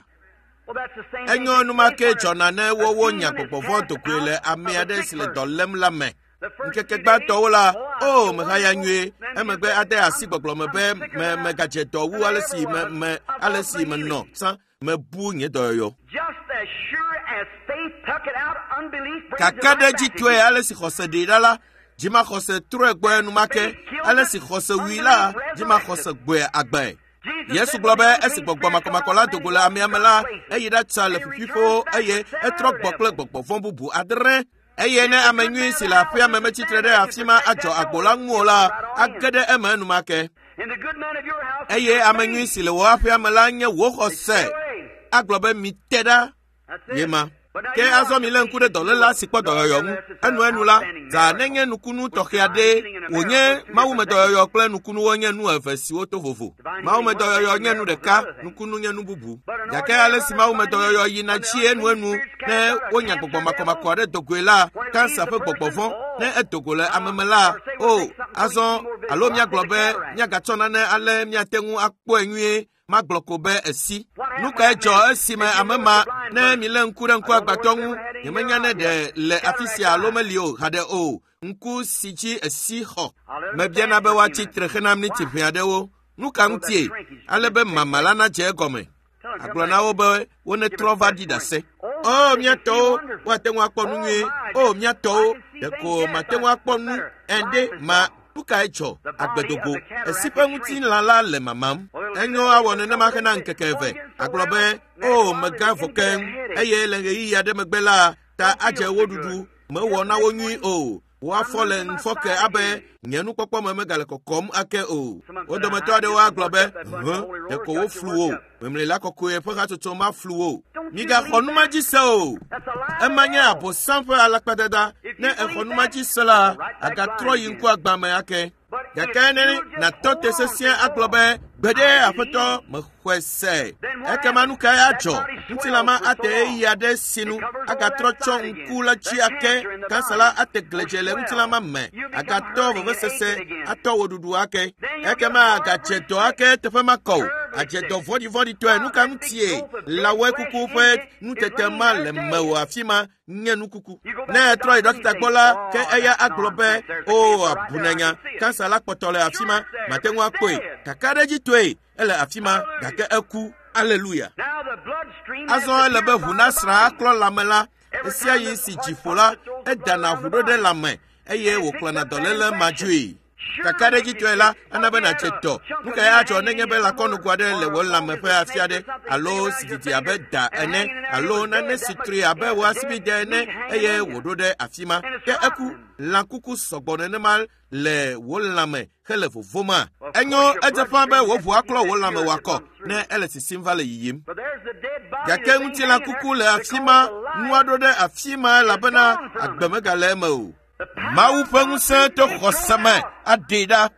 Well, that's the same Enyo thing enumake takes place dzɔna ne when a wowo demon nya is gbɔgbɔ vɔ̃ cast do goe out le ame of a aɖe sick si le person. dɔ lém la me. The first Ŋkeke few days, gbãtɔwo la, oh, I o feel mehaya wonderful. nyuie. Then Emegbe you ade say, asi I'm, gbɔgblɔ me I'm be sicker me than I, megadze dɔ wu than I ale ever si me was. me I've ale lost si my menɔ healing. tsã mebu nye dɔyɔyɔ. Just as sure as faith took it out, unbelief brings it right back Kakaɖedzitɔe again. ale si xɔse ɖee ɖa la, dzimaxɔse trɔe gbɔe enumake. Ale si xɔse wui la, dzimaxɔse gbɔe agbae. Jesus Yesu said gblɔ when be the esi unclean gbɔgbɔ spirit come makɔmakɔ out la of do man, go he le goes amea me dry la, places eyi ɖatsa le and he returns ƒuƒuiƒewo back eye with seven etrɔ other gbɔ kple devils. gbɔgbɔ vɔ̃ bubu adre. Eye ne If the ame good nyui man of si the le house aƒea me isn't metsitre standing ɖe there to afi ma protect adzɔ that agbo door, la ŋu o he'll la, go right on in. age ɖe eme enumake. And the good man of your house is Eye your ame nyui faith. si le wò aƒea me la nye wò They stay xɔse. away. Agblɔ be mite ɖa That's ye it. ma. Ke azɔ mi lé ŋku ɖe dɔléla si kpɔ dɔyɔyɔ ŋu. Enuenu la, zã nenye nukunu tɔxɛ aɖee wònye mawumedɔyɔyɔ kple nukunuwo nye nu eve siwo to vovo. Mawumedɔyɔyɔ nye nu ɖeka, nukunu nye nu bubu. Gake ale si mawumedɔyɔyɔ yina dzi enuenu ne wonya gbɔgbɔ makɔmakɔ aɖe do goe la, kansa ƒe gbɔgbɔ vɔ̃ ne edo go le ame me la, o azɔ alo míagblɔ be míagatsɔ nane ale míate ŋu akpɔe nyuie magblɔ ko be esi. Nu kae dzɔ esime ame ma ne milé ŋku ɖe ŋkuagbãtɔ ŋu nyemenya ne ɖe le afi sia alo meli o haɖe o. Ŋku si dzi esi xɔ. Mebiana be woatsi tre hena miniti ʋɛ aɖewo. Nu ka ŋutie? Ale be mama la nadze egɔme. Agblɔ na wo be wonetrɔ va ɖi ɖase. O mía tɔwo, woate ŋu akpɔ nu nyuie. O mía tɔwo, ɖeko mate ŋu akpɔ nu ende ma. Nu kae dzɔ? Agbedogo. Esi ƒe ŋutilã la le mamam. Enyo awɔ nenema hena ŋkeke eve. Agblɔ be, o megã vɔ keŋ. Eye le ɣeyiɣi aɖe megbe la, ta adze wo ɖuɖu. Mewɔ na wo nyui o. Woafɔ le ŋufɔke abe nye nukpɔkpɔ me megale kɔkɔm ake o. Wo dometɔ aɖewo agblɔ be, hẽ, ɖeko woflu wo. Memlila kɔkɔe ƒe hatsotso maflu wo. Migaxɔ nu ma dzi se o. Ema nye Abosam ƒe alakpadada. Ne exɔ nu ma dzi se la, agatrɔ yi ŋkuagbã me ake. Gake ne nàtɔ te sesĩe agblɔ be, gbeɖe aƒetɔ mexɔe se. Ekema nu kae adzɔ? Ŋutilã ma ate ɣeyiɣi aɖe sinu agatrɔ tsɔ ŋku la dzi ake. Kansa la ate gledze le ŋutilã ma me. Agatɔ vevesese atɔ wò ɖuɖu ake. Ekema agadze dɔ ake teƒe makɔ o. Adze dɔ vɔ̃ɖivɔ̃ɖitɔe. Nu ka ŋutie? Lãwɔe kuku ƒe nutete ma le mewò afi ma nye nukuku. Ne etrɔ yi ɖɔkita gbɔ la, ke eya agblɔ be, o abunanya, kansa la kpɔtɔ le afi ma, mate ŋu akpɔe. Kakaɖedzitɔe, ele afi ma, gake eku. Aleluya. Azɔ ele be ʋu nasrã aklɔ lãme la. Esia yi si dzi ƒo la, edana ʋu ɖo ɖe lãme eye wòkplɔna dɔléle ma dzoe. Kakaɖedzitɔe la, ana be nàdze dɔ. Nu kae adzɔ nenye be lãkɔnugo aɖe le wò lãme ƒe afi aɖe alo si didi abe da ene alo nane si tri abe wò asibide ene eye wòɖo ɖe afi ma? Ke eku. Lãkuku sɔgbɔ nenema le wò lãme hele vovoma. Enyo edze ƒã be wò ʋu aklɔ wò lãme wòakɔ ne ele sisim va le yiyim. Gake ŋutilãkuku le afi ma, nua ɖo ɖe afi ma elabena agbe megale eme o. Mawu ƒe ŋusẽ to xɔse me aɖee ɖa.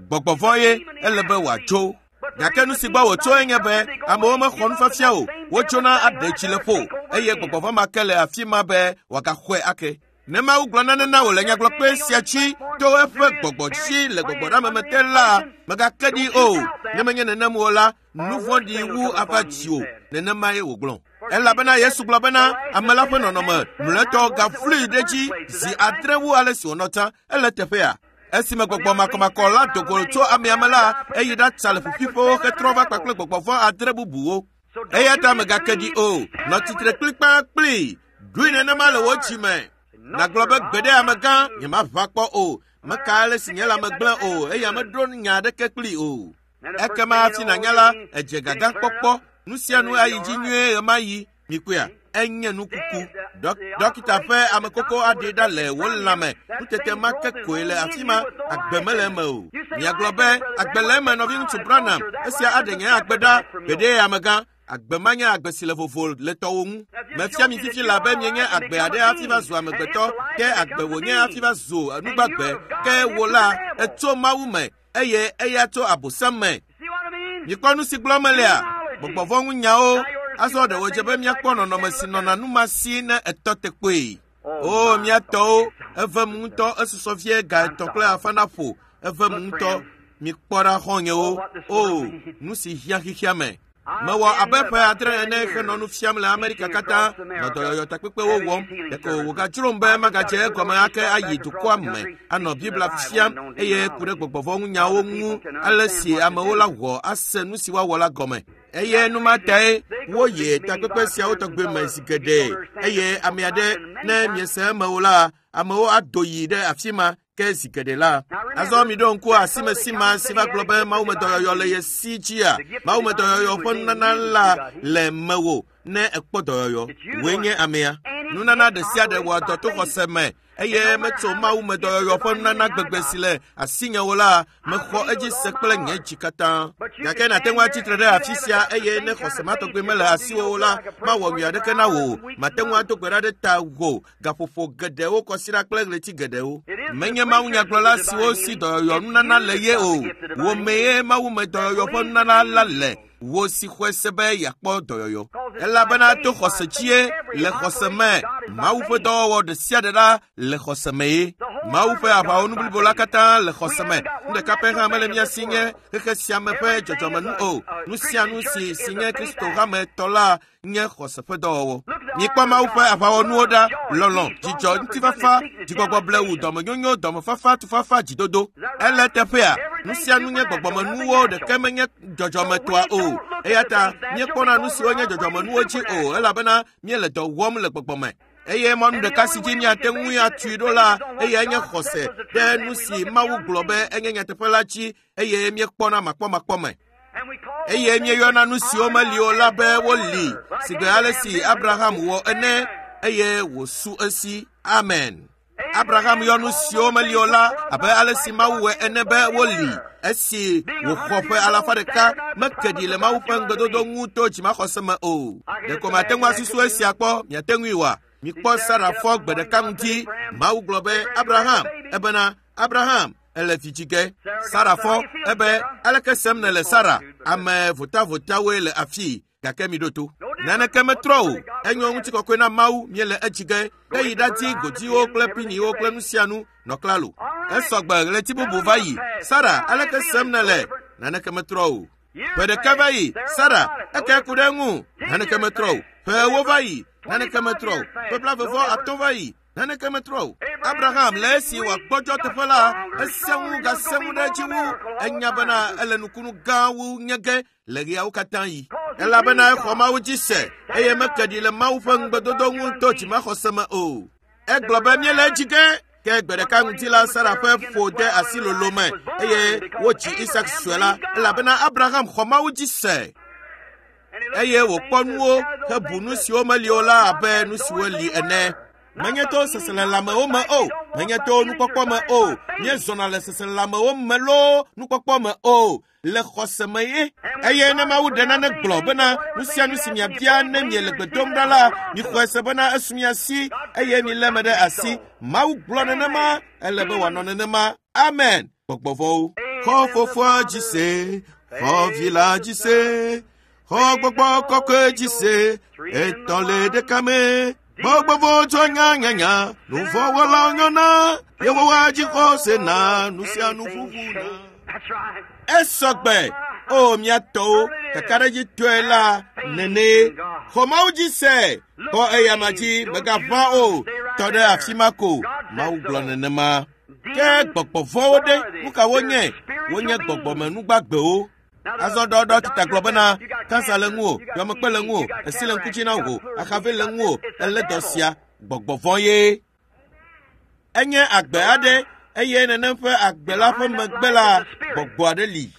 Gbɔgbɔ vɔ̃ ye ele be wòatso. Gake nu si gbɔ wòtso enye be amewo mexɔ nufiafia o. Wotsona aɖe tsi le ƒo eye gbɔgbɔ vɔ̃ ma ke le afi ma be wòagaxɔe ake. Ne Mawu gblɔ nane na wò le nyagblɔkpe sia dzi to eƒe gbɔgbɔ dzi le gbɔgbɔɖeameme te la, mègake ɖi o. Ne menye nenem o la, nu vɔ̃ɖi wu ava dziwò. Nenemae wògblɔ. Elabena Yesu gblɔ bena ame la ƒe nɔnɔme mlɔetɔ gaflui ɖe edzi zi adre wu ale si wònɔ tsã. Ele teƒea. Esime gbɔgbɔ makɔmakɔ la do go tso amea me la, eyi ɖatsa le ƒuƒuiƒewo hetrɔ va kpakple gbɔgbɔ vɔ̃ adre bubuwo. Eya ta mègake ɖi o. Nɔ tsitre kplikpaa kplii. Ɖoe nenema le wò dzi me. Nàgblɔ be gbeɖe amegã nyemaʋã kpɔ o. Meka ale si nye lãme gblẽ o eye meɖo nya aɖeke kplii o. Ekema hafi nànya la, edze gagã kpɔkpɔ. Nu sia nu ayi dzi nyuie ɣemaɣi. Mikpɔea? Enye nukuku. Dɔkita ƒe amekoko aɖee ɖa le wò lãme. Nutete ma ke koe le afi ma. Agbe mele eme o. Miagblɔ be, agbe le eme nɔviŋutsu Branham. Esia aɖe nye agbe ɖa. Gbeɖe amegã. Agbe ma nye agbe si le vovo le tɔwò ŋu. Mefia mi fifi la be mienye agbe aɖe hafi va zu amegbetɔ, ke agbe wònye hafi va zu nugbagbe. Ke wò la, etso Mawu me eye eya tso Abosam me. Mikpɔ nu si gblɔm melea? Gbɔgbɔ vɔ̃ ŋu nyawo. Azɔ ɖe wòdze be míakpɔ nɔnɔme si nɔna nu ma si ne etɔ te kpoe. O mía tɔwo, evem ŋutɔ esusɔ vie ga 3 kple afã naƒo. Evem ŋutɔ. Mikpɔ ɖa xɔ̃nyewo. O, nu si hiã xexea me. Mewɔ abe ƒe 7 ene henɔ nu fiam le Amerika katã, nɔ dɔyɔyɔ takpekpewo wɔm. Ɖeko wògadzrom be magadze egɔme ake ayi dukɔa me anɔ Biblia fiam eye ku ɖe gbɔgbɔ vɔ̃ ŋu nyawo ŋu ale si amewo la wɔ ase nu si woawɔ la gɔme. Eye nu ma tae woyi takpekpe siawo tɔgbe me zi geɖe. Eye ame aɖe ne miese eme o la, amewo ado yi ɖe afi ma ke zi geɖe la. Azɔ miɖo ŋku asimesi ma si va gblɔ be mawumedɔyɔyɔ le ye si dzia. Mawumedɔyɔyɔ ƒe nunana la le mewò ne ekpɔ dɔyɔyɔ. Wòe nye amea. Nunana ɖe sia ɖe wɔa dɔ to xɔse me eye metso Mawu me dɔyɔyɔ ƒe nunana gbegbe si le asinye wo la, mexɔ edzi se kple nye dzi katã. Gake nàte ŋu atsitre ɖe afi sia eye ne xɔse ma tɔgbi mele asiwò o la, mawɔ nyui aɖeke na wò o. Mate ŋu ado gbe ɖa ɖe ta wò gaƒoƒo geɖewo kɔsiɖa kple ɣleti geɖewo. Menye mawunyagblɔla siwo si dɔyɔyɔ nunana le ye o. Wò mee Mawu me dɔyɔyɔ ƒe nunana la le. Wò si xɔe se be yeakpɔ dɔyɔyɔ. Elabena to xɔse dzie le xɔse me Mawu ƒe dɔwɔwɔ ɖe sia ɖe la le xɔse me ye. Mawu ƒe aʋawɔnu blibo la katã le xɔse me. Nu ɖeka pɛ hã mele mía si nye xexe sia me ƒe dzɔdzɔmenu o. Nu sia nu si si nye Kristo hame tɔ la nye xɔse ƒe dɔwɔwɔ. Mikpɔ Mawu ƒe aʋawɔnuwo ɖa: lɔlɔ̃, dzidzɔ, ŋutifafa, dzigbɔgbɔ blewu, dɔmenyonyo, dɔmefafa, tufafa, dzidodo. Ele teƒea, nu sia nu nye gbɔgbɔmenuwo, ɖeke menye dzɔdzɔmetɔa o. Eya ta míekpɔna nu siwo nye dzɔdzɔmenuwo dzi o, elabena míele dɔ wɔm le gbɔgbɔ me. Eye mɔnu ɖeka si dzi míate ŋui atui ɖo la, eyae nye xɔse ɖe nu si Mawu gblɔ be enye nyateƒe la dzi eye míekpɔna makpɔmakpɔ me. Eye míeyɔna nu siwo meli o la be woli sigbe ale si Abraham wɔ ene eye wòsu esi. Amen. Abraham yɔ nu siwo meli o la abe ale si Mawu wɔe ene be woli esi wòxɔ ƒe alafa ɖeka meke ɖi le Mawu ƒe ŋugbedodo ŋu to dzimaxɔse me o. Ɖeko mate ŋu asusu esia kpɔ, miate ŋui oa? Mikpɔ Sara fɔ gbe ɖeka ŋdi. Mawu gblɔ be, Abraham, ebena, Abraham, ele vi dzi ge. Sara fɔ ebe, aleke sem nèle Sara? Ame votavotawoe le afii, gake miɖo to. Naneke metrɔ o. Enyo ŋutikɔkɔe na Mawu, míele edzi ge. Ke yi ɖadi godiwo kple piniwo kple nu sia nu, nɔ klalo. Esɔgbe ɣleti bubu va yi. Sara, aleke sem nèle? Naneke metrɔ o. Ƒe ɖeka va yi, Sara, eke ku ɖe eŋu. Naneke metrɔ o. Ƒe ewo va yi, naneke metrɔ o. Ƒe blaeve-vɔ-atɔ̃ va yi, naneke metrɔ o. Abraham le esi wòagbɔdzɔ teƒe la, esẽ ŋu gasẽ ŋu ɖe edzi wu. Enya bena ele nukunu gã wu nye ge le ɣeawo katã yi. Elabena exɔ Mawu dzi se eye meke ɖi le Mawu ƒe ŋugbedodo ŋu to dzimaxɔse me o. Egblɔ be míele edzi ge. Ke gbe ɖeka ŋdi la, Sara ƒe ƒo de asi lolo me eye wodzi Isak sue la, elabena Abraham xɔ Mawu dzi se eye wòkpɔ nuwo hebu nu siwo meli o la abe nu siwo li ene. Menye to seselelãmewo me o, menye to nukpɔkpɔ me o, míezɔna le seselelãmewo me loo nukpɔkpɔ me o, le xɔse me ye. Eye ne Mawu ɖe nane gblɔ bena nu sia nu si miabia ne miele gbe dom ɖa la, mixɔe se bena esu mia si eye milé eme ɖe asi. Mawu gblɔ nenema, ele be wòanɔ nenema. Amen. Gbɔgbɔ vɔ̃wo. Xɔ Fofoa dzi se, xɔ Vi la dzi se, xɔ Gbɔgbɔ Kɔkɔe dzi se, etɔ̃ le ɖeka me. Gbɔgbɔ vɔ̃wo tsɔ nyanyanya, nu vɔ̃ wɔlawo nyɔna, Yehowa dzi xɔse na nu sia nu ƒuƒu na. Esɔgbe, o mía tɔwo, kakaɖedzitɔe la nene. Xɔ Mawu dzi se, xɔ eyama dzi, mègaʋã o, tɔ ɖe afi ma ko. Mawu gblɔ nenema. Ke gbɔgbɔ vɔ̃wo ɖe, nu ka wonye? Wonye gbɔgbɔmenugbagbewo. Azɔ ɖɔɖɔ tita gblɔ bena, kansa le ŋuwò, dɔmekpe le ŋuwò, esi le ŋku dzi na wò, axave le ŋuwò, elé dɔ sia, gbɔgbɔ vɔ̃ ye. Enye agbe aɖe eye nenem ƒe agbe la ƒe megbe la, gbɔgbɔ aɖe li.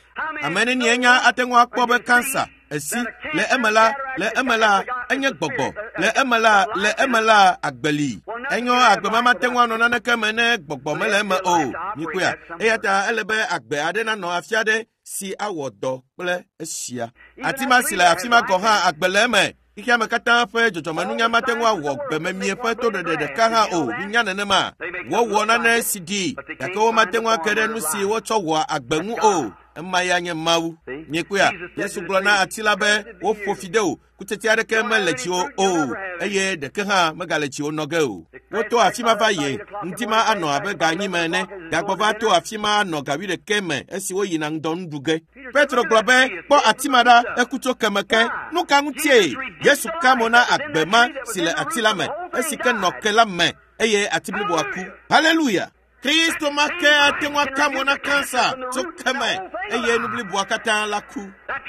Ame nenie nya ate ŋu akpɔ be kansa, esi, le eme la, le eme la, enye gbɔgbɔ, le eme la, le eme la, agbe li. Enyo agbe ma mate ŋu anɔ naneke me ne gbɔgbɔ mele eme o. Mikpɔea? Eya ta ele be agbe aɖe nanɔ afi aɖe si awɔ dɔ kple esia. Ati ma si le afi ma gɔ̃ hã agbe le eme. Xexea me katã ƒe dzɔdzɔmenunya mate ŋu awɔ gbememie ƒe toɖeɖe ɖeka hã o. Minya nenema. Wowɔ nane si ɖi, gake womate ŋu ake ɖe nu si wotsɔ wɔa agbe ŋu o. Ema ya nye Mawu. Miekpɔea? Yesu gblɔ na ati la be, woƒo fi de wò, kutsetse aɖeke mele dziwò o, eye ɖeke hã megale dziwò nɔ ge o. Woto afi ma va yi, ŋdi ma anɔ abe ga enyi me ene, gagbɔ va to afi ma anɔ ga wuiɖekɛ me esi woyina ŋdɔ nu ɖu ge. Petro gblɔ be, kpɔ ati ma ɖa, eku tso keme ke. Nu ka ŋutie? Yesu ka mo na agbe ma si le ati la me, esi ke nɔ ke la me, eye ati bliboa ku. Haleluya! Kristo ma ke ate ŋu aka mo na kansa tso keme eye nu bliboa katã la ku.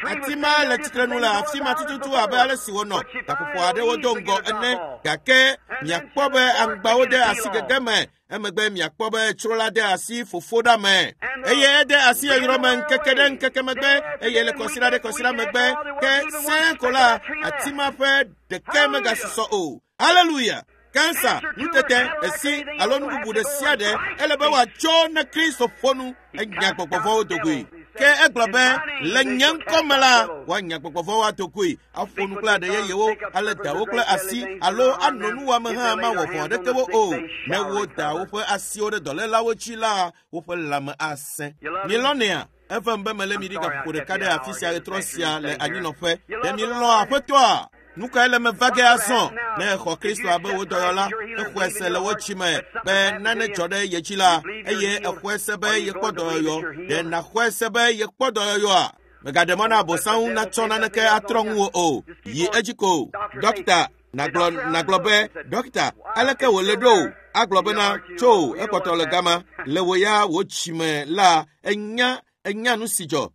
Ati ma le tsitrenu le afi ma tututu abe ale si wònɔ gaƒoƒo aɖewo do ŋgɔ ene, gake miakpɔ be aŋgbawo de asi gege me, emegbe miakpɔ be tsro la de asi fofo ɖa me, eye ede asi yɔyrɔ me ŋkeke ɖe ŋkeke megbe, eye le kɔsiɖa ɖe kɔsiɖa megbe, ke sẽe ko la, ati ma ƒe ɖeke megasusɔ o. Haleluya! Kansa, nutete, esi alo nu bubu ɖe sia ɖe ele be wòatso ne Kristo ƒo nu enya gbɔgbɔvɔwo dogoe. Ke egblɔ be le nye ŋkɔ me la woanya gbɔgbɔvɔwo adogoe, aƒo nu kple aɖe yeyewo, ale da wo kple asi alo anɔ nuwɔame hã mawɔ vɔ̃ aɖeke wo o. Ne woda woƒe asiwo ɖe dɔlélawo dzi la, woƒe lãme asẽ. Milɔnea? Evem be mele mi ɖi gaƒoƒo ɖeka ɖe afi sia ɣetrɔ sia le anyinɔƒe. Ɖe milɔ̃ Aƒetɔa? Nu kae le me va ge azɔ? Ne èxɔ Kristo abe wò dɔyɔla, exɔe se le wò dzi me be nane dzɔ ɖe ye dzi la, eye exɔe se be yekpɔ dɔyɔyɔ, ɖe nàxɔe se be yekpɔ dɔyɔyɔa? Mègaɖe mɔ na Abosam ŋu natsɔ naneke atrɔ ŋuwò o. Yi edzi ko. Ɖɔkita, nàgblɔ nàgblɔ be, Ɖɔkita, aleke wòle ɖo? Agblɔ bena, Tso, ekpɔtɔ le gama. Le wò ya wò dzi me la, ènya enya nu si dzɔ.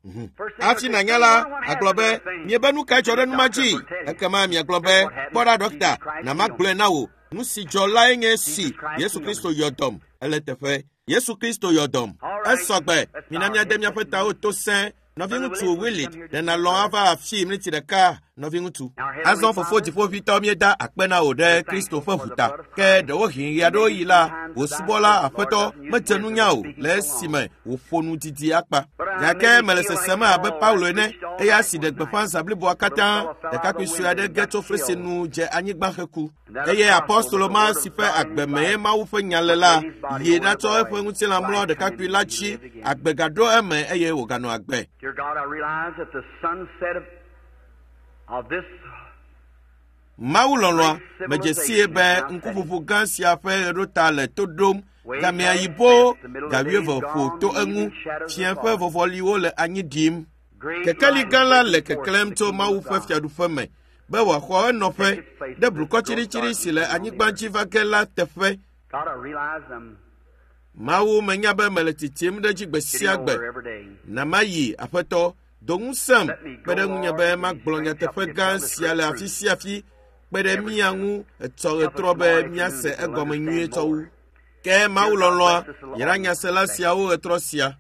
Hafi nànya la, agblɔ be, miebe nu kae dzɔ ɖe nu ma dzi? Ekema miagblɔ be, kpɔ ɖa ɖɔkita, na magblɔe na wò. Nu si dzɔ lae nye si, Yesu Kristo yɔ dɔm. Ele teƒe. Yesu Kristo yɔ dɔm. Esɔ gbe. Mina míade míaƒe tawo to sẽ. Nɔviŋutsu Willit, ɖe nàlɔ̃ ava afii miniti ɖeka, nɔviŋutsu? Azɔ Fofo Dziƒoʋĩtɔ, míeda akpe na wò ɖe Kristo ƒe ʋu ta. Ke ɖewohĩ ɣeaɖewoɣi la, wò subɔla Aƒetɔ medze nunya o le esime wòƒo nu didi akpa. Gake mele sesem abe Paulo ene, eya si ɖe gbeƒã zã bliboa katã, ɖekakpui sue aɖe ge tso fesre nu dze anyigba heku. Eye apɔstolo ma si ƒe agbe mee Mawu ƒe nya le la, yi ɖatsɔ eƒe ŋutilã mlɔ ɖekakpui la dzi, agbe gaɖo eme eye wòganɔ agbe. Dear God, I realize that the sunset of this Mawu lɔlɔ̃a, medze sie be ŋkuʋuʋu gã sia ƒe ɣeɖota le to ɖom. Gamea yibo, ga wuieve ƒo to eŋu, fiẽ ƒe vɔvɔliwo le anyi ɖim. Kekeli gã la le keklẽm tso Mawu ƒe fiaɖuƒe me be wòaxɔ enɔƒe ɖe blukɔ tsiɖitsiɖi si le anyigba dzi va ge la teƒe. God, I realize I'm Mawu menya be mele tsitsim ɖe edzi gbe sia getting gbe. older every day. Na mayi, Aƒetɔ, do ŋusẽm, kpe ɖe ŋunye be magblɔ nyateƒe gã sia le afi sia afi, kpe ɖe mía ŋu etsɔ ɣetrɔ be míase egɔme nyuie tsɔ wu. Ke Mawu lɔlɔ̃a yra nyasela siawo ɣetrɔ sia.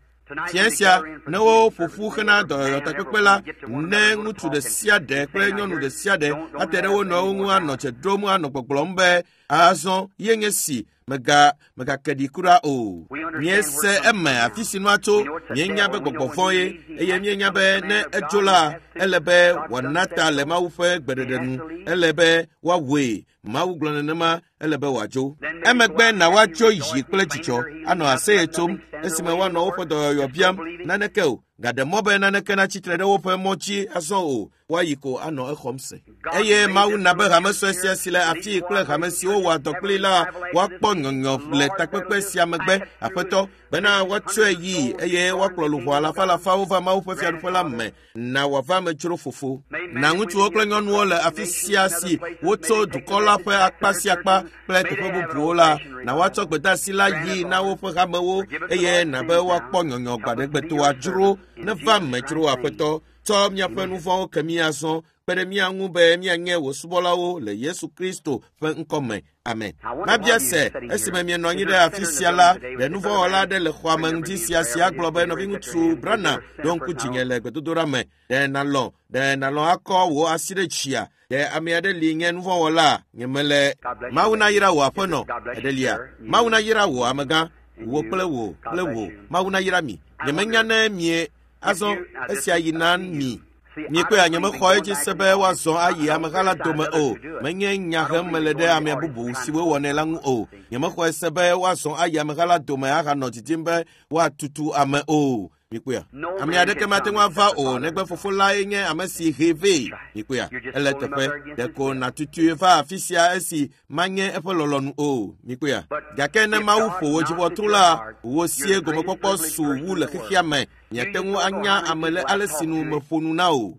Fiẽ sia, ne woƒo ƒu hena dɔyɔyɔtakpekpe la, ne ŋutsu ɖe sia ɖe kple nyɔnu ɖe sia ɖe ate ɖe wo nɔewo ŋu anɔ dze ɖom anɔ gbɔgblɔm be, azɔ ye nye si, mega megake ɖi kura o. Míese eme afi si nua tso, míenya be gbɔgbɔ vɔ̃ ye, eye míenya be ne edzo la, ele be wòana ta le Mawu ƒe gbeɖeɖe nu, ele be woawɔe. Mawu gblɔ nenema, ele be wòadzo. Emegbe na woatso yi kple dzidzɔ, anɔ aseye tsom esime woanɔ woƒe dɔyɔyɔ biam, naneke o. Gaɖe mɔ be naneke natsi tre ɖe woƒe mɔ dzi azɔ o, woayi ko anɔ exɔm se. Eye Mawu na be hame sue sia si le afii kple hame siwo wɔa dɔ kplii la woakpɔ nyɔnyɔ le takpekpe sia megbe, Aƒetɔ, bena woatsɔe yii eye woakplɔ luʋɔ alafalafawo va Mawu ƒe fiaɖuƒe la me. Na wòava eme dzro fofo. Na ŋutsuwo kple nyɔnuwo le afi sia si wotso dukɔ la ƒe akpa sia akpa kple teƒe bubuwo la, na woatsɔ gbedeasi la yii na woƒe hamewo eye na be woakpɔ nyɔnyɔ gbaɖegbetoa dzro. Neva eme dzro, Aƒetɔ. Tsɔ míaƒe nu vɔ̃wo ke mí azɔ, kpe ɖe mía ŋu be míanye wò subɔlawo le Yesu Kristo ƒe ŋkɔ me. Amen. Mabia se, esime mienɔ anyi ɖe afi sia la, ɖe nuvɔ̃wɔla aɖe le xɔa me ŋdi sia si agblɔ be nɔviŋutsu Branham ɖo ŋku dzinye le gbedodoɖa me. Ɖe nàlɔ̃, ɖe nàlɔ̃ akɔ wò asi ɖe dzia? Ɖe ame aɖe li nye nuvɔ̃wɔla? Nyemele. Mawu nayra wò aƒenɔ. Eɖelia. Mawu nayra wò amegã. Wò kple wò kple wò. Mawu nayra mi. Nyemenya ne mie azɔ esia yi na mi. Miekpɔea, nyemexɔ edzi se be woazɔ ayi ameha la dome o. Menye nya hem mele ɖe ame bubu siwo wɔnɛ la ŋu o. Nyemexɔe se be woazɔ ayi ameha la dome ahanɔ didim be woatutu ame o. Mikpɔea, ame aɖeke mate ŋu ava o negbe fofo lae nye ame si hee vɛ. Mikpɔea, ele teƒe. Ɖeko nàtutui va afi sia esi manye eƒe lɔlɔ̃nu o. Mikpɔea, gake ne Mawu ƒo wò dziʋɔtru la, wò sie gomekpɔkpɔ su wu le xexea me. Miate ŋu anya ame le ale si nu meƒo nu na o.